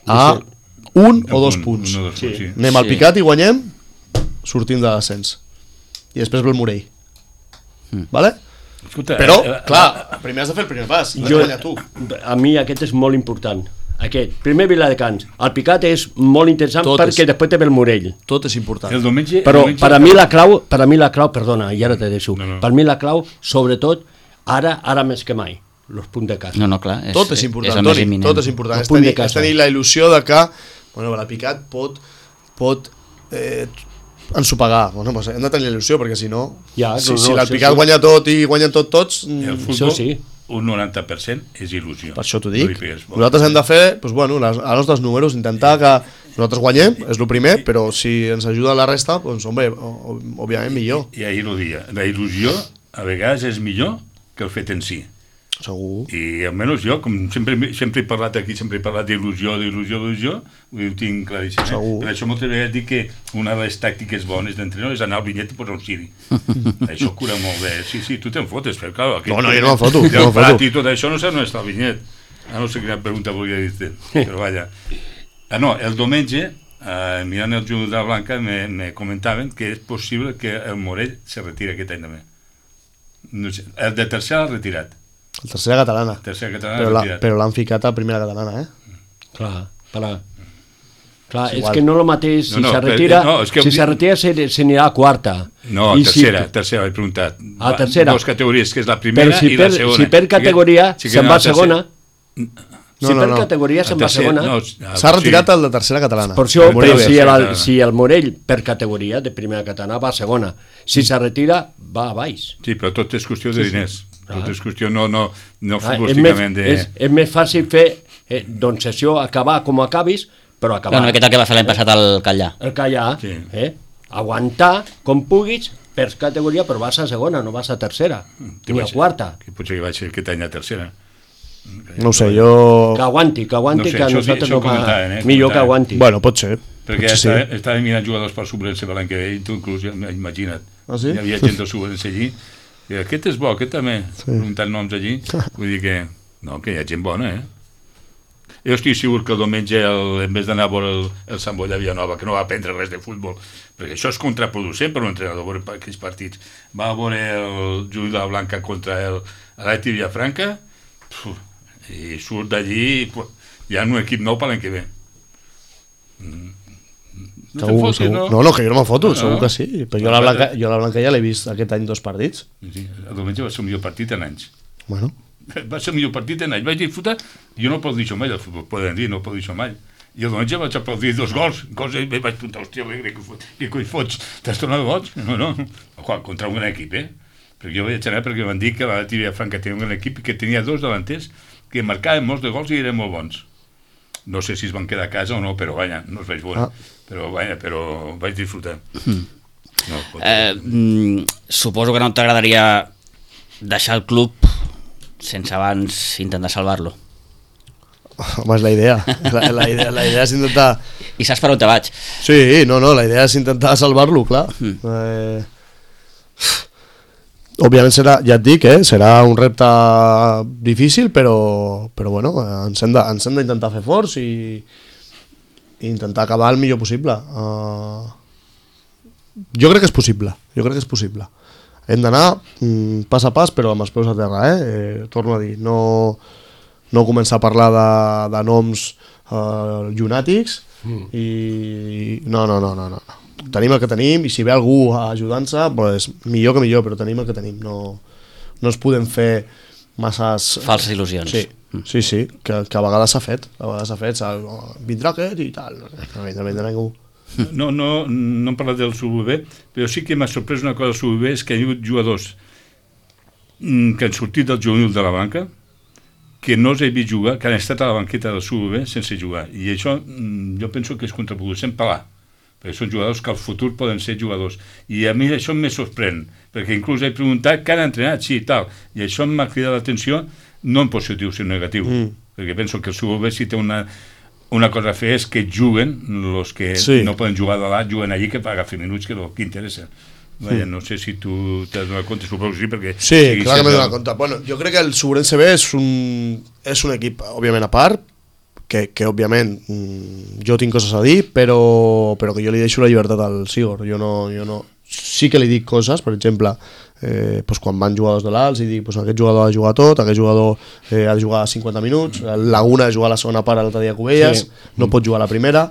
A un o dos punts. Un o dos Sí. punts, sí. Anem al Sí. Picat i guanyem, sortim de l'ascens. I després ve el Morell. Vale? Escolta, Però, eh, eh, clar, primer has de fer el primer pas. Has de Jo, guanyar tu. a mi aquest és molt important. Aquest. Primer Viladecans. El Picat és molt interessant Tot perquè és- després te ve el Morell. Tot és important. El diumenge... Però el diumenge- per a mi la clau, per a mi la clau, perdona, i ara te deixo. No, no. Per mi la clau, sobretot, ara ara més que mai, els punts de casa. No, no, clar. És, Tot és important, és el més Toni, imminent. tot és important. El És punt de tenir, casa. és tenir la il·lusió de que bueno, la Picat pot, pot eh, ensopegar. Bueno, doncs hem de tenir la il·lusió, perquè si no, Ja, si, no, si no, l'Alpicat sí, sí. guanya tot i guanyen tot tots, El mm, futbol, Això sí. un noranta per cent és il·lusió. per això t'ho No dic. li pegues bola. Nosaltres hem de fer doncs, bueno, les, els nostres números, intentar que nosaltres guanyem, és el primer, però si ens ajuda la resta, doncs, home, o- o- òbviament millor. I ahir ho dia. La il·lusió a vegades és millor que el fet en si. Segur. I almenys jo, com sempre, sempre he parlat aquí, sempre he parlat d'il·lusió, d'il·lusió, d'il·lusió, ho tinc claríssim. Eh? Segur. Per això moltes vegades dic que una de les tàctiques bones d'entrenador és anar al vinyet i posar un ciri. Això cura molt bé. Sí, sí, tu te'n fotes, però clar... No, no, jo no me'n foto, no El me'n plat foto. i tot això no sé on està el vinyet. Ah, no sé quina pregunta volia dir-te, però vaja. Ah, no, el diumenge, eh, mirant el jugador de la Blanca, me, me comentaven que és possible que el Morell se retiri aquest any també. No sé, el de tercera l'ha retirat. La tercera catalana. Tercera catalana Però l'ha la- retirat. però l'han ficat a primera catalana, eh? Clar, clar. Clar, és és igual. que no el mateix, si No, no, se però- retira, no, és que- si se retira se, se anirà a quarta. No, I tercera, si, tercera, he preguntat. Ah, tercera. Dos categories, que és la Però primera si i per, la segona. si per categoria Sí que- sí que se'n no, va la a segona, tercera- si No, no, per no. categoria se'n va a tercera- segona, no, S'ha ah, retirat sí. el de tercera catalana. per això, El però Morell si B. el, si el Morell per categoria de primera catalana va a segona, si se retira va a baix. Sí, però tot és qüestió de diners. Tot és qüestió no, no, no Ah, és, més, futbolísticament de... és, és més fàcil fer eh, doncs sessió, acabar com acabis, però acabar. Clar, una miqueta el que va fer l'any passat al Catllà. El callar, Sí. eh? Aguantar com puguis per categoria, però vas a segona, no vas a tercera, Que ni a vaig- quarta. Que potser que vaig ser aquest any a tercera. No ho sé, jo... Que aguanti, que aguanti, No sé, que a això- nosaltres això no va... comentaven, eh, Millor que comentaven. aguanti. Bueno, pot ser. Perquè Potser sí. estava, estava mirant jugadors per Subrense l'any que ve, i tu inclús, ja, imagina't. Ah, sí? Hi havia gent del Subrense allí, i aquest és bo, aquest també, sí. preguntant noms allí. Vull dir que, no, que hi ha gent bona, eh? Jo estic segur que el diumenge, el, en vez d'anar a veure el, el Sant Boi de Villanova, que no va aprendre res de futbol, perquè això és contraproducent per un entrenador, veure aquells partits. Va a veure el Juli de la Blanca contra el Aleti Villafranca, puf, i surt d'allí, puf, hi ha un equip nou per l'any que ve. Mm. No te'n Segur, fotis, segur. no? No, no, que jo no me'n foto, No, segur no. que sí. Però jo la Blanca, jo la Blanca ja l'he vist aquest any dos partits. Sí, el diumenge va ser el millor partit en anys. Bueno, Va ser el millor partit en anys. Vaig disfrutar, jo no puc dir això mai, el futbol poden dir, no puc dir això mai. I el diumenge vaig aplaudir dos gols, gols i vaig apuntar, hòstia, que, que, que coi fots, t'has tornat boig? No, no, Ojo, contra un gran equip, eh? Perquè jo vaig anar perquè van dir que la Tibia Franca tenia un gran equip i que tenia dos delanters que marcaven molts de gols i eren molt bons. No sé si es van quedar a casa o no, però vaja, no els vaig veure. Ah. Però vaja, però vaig disfrutar. No, pot... Eh, mm, suposo que no t'agradaria deixar el club sense abans intentar salvar-lo. home, és la idea. La, la, idea, la idea és intentar... I saps per on te vaig? Sí, no, no, la idea és intentar salvar-lo, clar. Mm. Eh... Òbviament serà, ja et dic, eh, serà un repte difícil, però, però bueno, ens hem de- ens hem d'intentar fer forts i, i intentar acabar el millor possible. Uh, jo crec que és possible, jo crec que és possible. Hem d'anar mm, pas a pas, però amb els peus a terra, eh? eh torno a dir, no, no començar a parlar de, de noms uh, llunàtics mm. i no, no, no, no, no. Tenim el que tenim i si ve algú ajudant-se, pues, millor que millor, però tenim el que tenim. No, no es podem fer masses... Falses il·lusions. Sí, sí, sí, que, que a vegades s'ha fet, a vegades s'ha fet, s'ha, oh, vindrà aquest i tal, no vindrà, vindrà ningú. No, no, no hem parlat del Sububé, però sí que m'ha sorprès una cosa del Sububé, és que hi ha hagut jugadors mm, que han sortit del juvenil de la banca, que no els he vist jugar, que han estat a la banqueta del Sububé sense jugar. I això mm, jo penso que és contraproducent pelar, perquè són jugadors que al futur poden ser jugadors. I a mi això me sorprèn, perquè inclús he preguntat que han entrenat, sí, tal, i això m'ha cridat l'atenció, no en positiu, sinó negatiu, mm. perquè penso que el Sububé si té una... Una cosa a fer és que juguen, els que Sí. no poden jugar de l'A, juguen allí que per agafar minuts, que és el que interessa. Vaja, no sé si tu t'has donat compte, suposo que sí, perquè... Sí, sigui clar que m'he sempre- donat compte. Bueno, jo crec que el Subrense B és un, és un equip, òbviament, a part, que, que òbviament, mm, jo tinc coses a dir, però, però que jo li deixo la llibertat al Sigor. Jo no, jo no... Sí que li dic coses, per exemple, eh, pues quan van jugadors de l'Alts i dic pues aquest jugador ha de jugar tot, aquest jugador eh, ha de jugar cinquanta minuts, el Laguna ha de jugar la segona part l'altre dia a Cubelles, sí. no pot jugar la primera,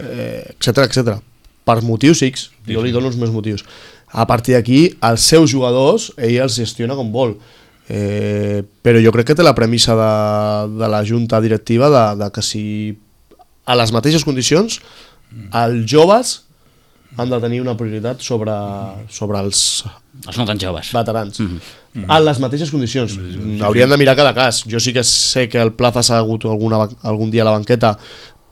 eh, etcètera, etcètera. Per motius X, jo li dono els meus motius. A partir d'aquí, els seus jugadors, ell els gestiona com vol. Eh, però jo crec que té la premissa de, de la junta directiva de, de que si a les mateixes condicions els joves han de tenir una prioritat sobre, sobre els Els no tan joves. veterans. Mm -hmm. En les mateixes condicions. Haurien de mirar cada cas. Jo sí que sé que el Plaza s'ha hagut alguna, algun dia a la banqueta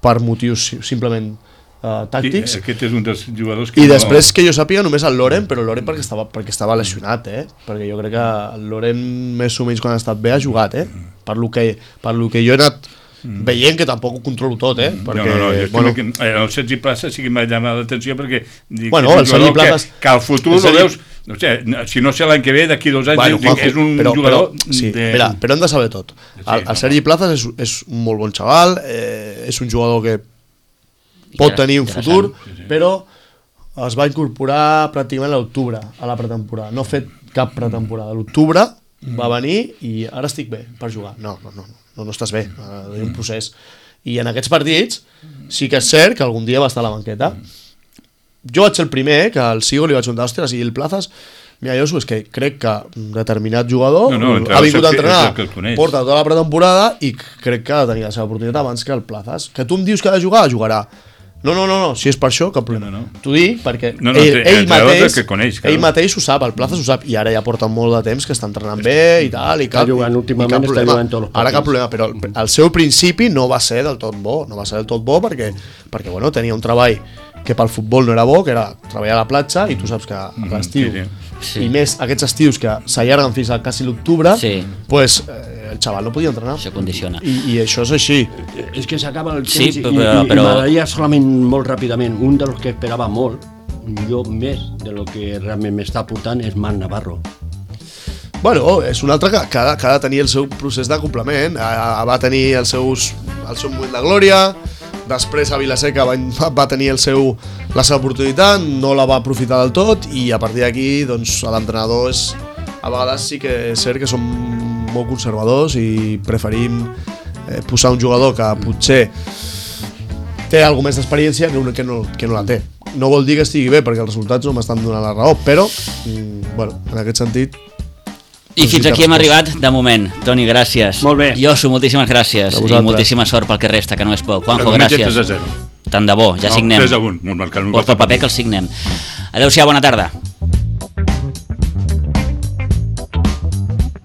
per motius simplement uh, tàctics. Sí, aquest és un dels jugadors que I no- després que jo sàpiga només el Loren, però el Loren perquè estava, perquè estava lesionat, eh? Perquè jo crec que el Loren més o menys quan ha estat bé ha jugat, eh? Per lo que, per lo que jo he anat veient, que tampoc ho controlo tot, eh? Perquè, no, no, no, jo bueno, que, eh, el Sergi Plaza sí que m'ha llamat l'atenció perquè dic, Bueno, és un el Sergi jugador Plaza- que, que al futur el el Sergi- veus, no sé, si no sé l'any que ve, d'aquí dos anys, bueno, dic, Juanjo, és un però, jugador però, sí, de... mira, però hem de saber tot. El, el no, Sergi Plazas és, és un molt bon xaval, eh, és un jugador que pot Inter- tenir un interessant. futur, però es va incorporar pràcticament a l'octubre, a la pretemporada. No ha fet cap pretemporada. A l'octubre va venir i ara estic bé per jugar. No, no, no, no, no estàs bé, uh, hi ha un procés. I en aquests partits sí que és cert que algun dia va estar a la banqueta. Jo vaig ser el primer que al Sigo li vaig preguntar, ostres, i el Plazas... Mira, jo és que crec que un determinat jugador no, no, ha vingut a entrenar, que, que porta tota la pretemporada i crec que ha de tenir la seva oportunitat abans que el Plazas. Que tu em dius que ha de jugar, jugarà. No, no, no, no, si és per això, cap problema. No, no. T'ho dic perquè no, no, ell, ell, mateix, que coneix, ell mateix ho sap, el Plazas ho sap, i ara ja porta molt de temps que està entrenant bé i tal, i cap, està jugant, últimament està jugant tots els partits. Ara cap problema, però el, el seu principi no va ser del tot bo, no va ser del tot bo perquè, perquè bueno, tenia un treball que pel futbol no era bo, que era treballar a la platja, i tu saps que a l'estiu, mm, sí, sí. i més aquests estius que s'allarguen fins a quasi l'octubre, sí. pues, eh, el xaval no podia entrenar. Això condiciona. I, i això és així. És que s'acaba el temps sí, i, però, i, però... i m'agradaria solament molt ràpidament, un dels que esperava molt, jo més de lo que realment m'està aportant, és Marc Navarro. Bueno, és un altre que, que, ha, que ha de tenir el seu procés de complement. Va tenir els seus, el seu moment de glòria, després a Vilaseca va, va tenir el seu, la seva oportunitat, no la va aprofitar del tot, i a partir d'aquí doncs, l'entrenador és, a vegades sí que és cert que som molt conservadors i preferim eh, posar un jugador que potser té alguna més d'experiència que, que, no, que no la té. No vol dir que estigui bé, perquè els resultats no m'estan donant la raó, però mm, bueno, en aquest sentit... I fins aquí hem arribat de moment. Toni, gràcies. Molt bé. Josu, moltíssimes gràcies. I moltíssima sort pel que resta, que no és poc. Juanjo, gràcies. tres a zero. Tant de bo, ja no, signem. tres a un. Porta el paper que el signem. Adéu-siau, bona tarda.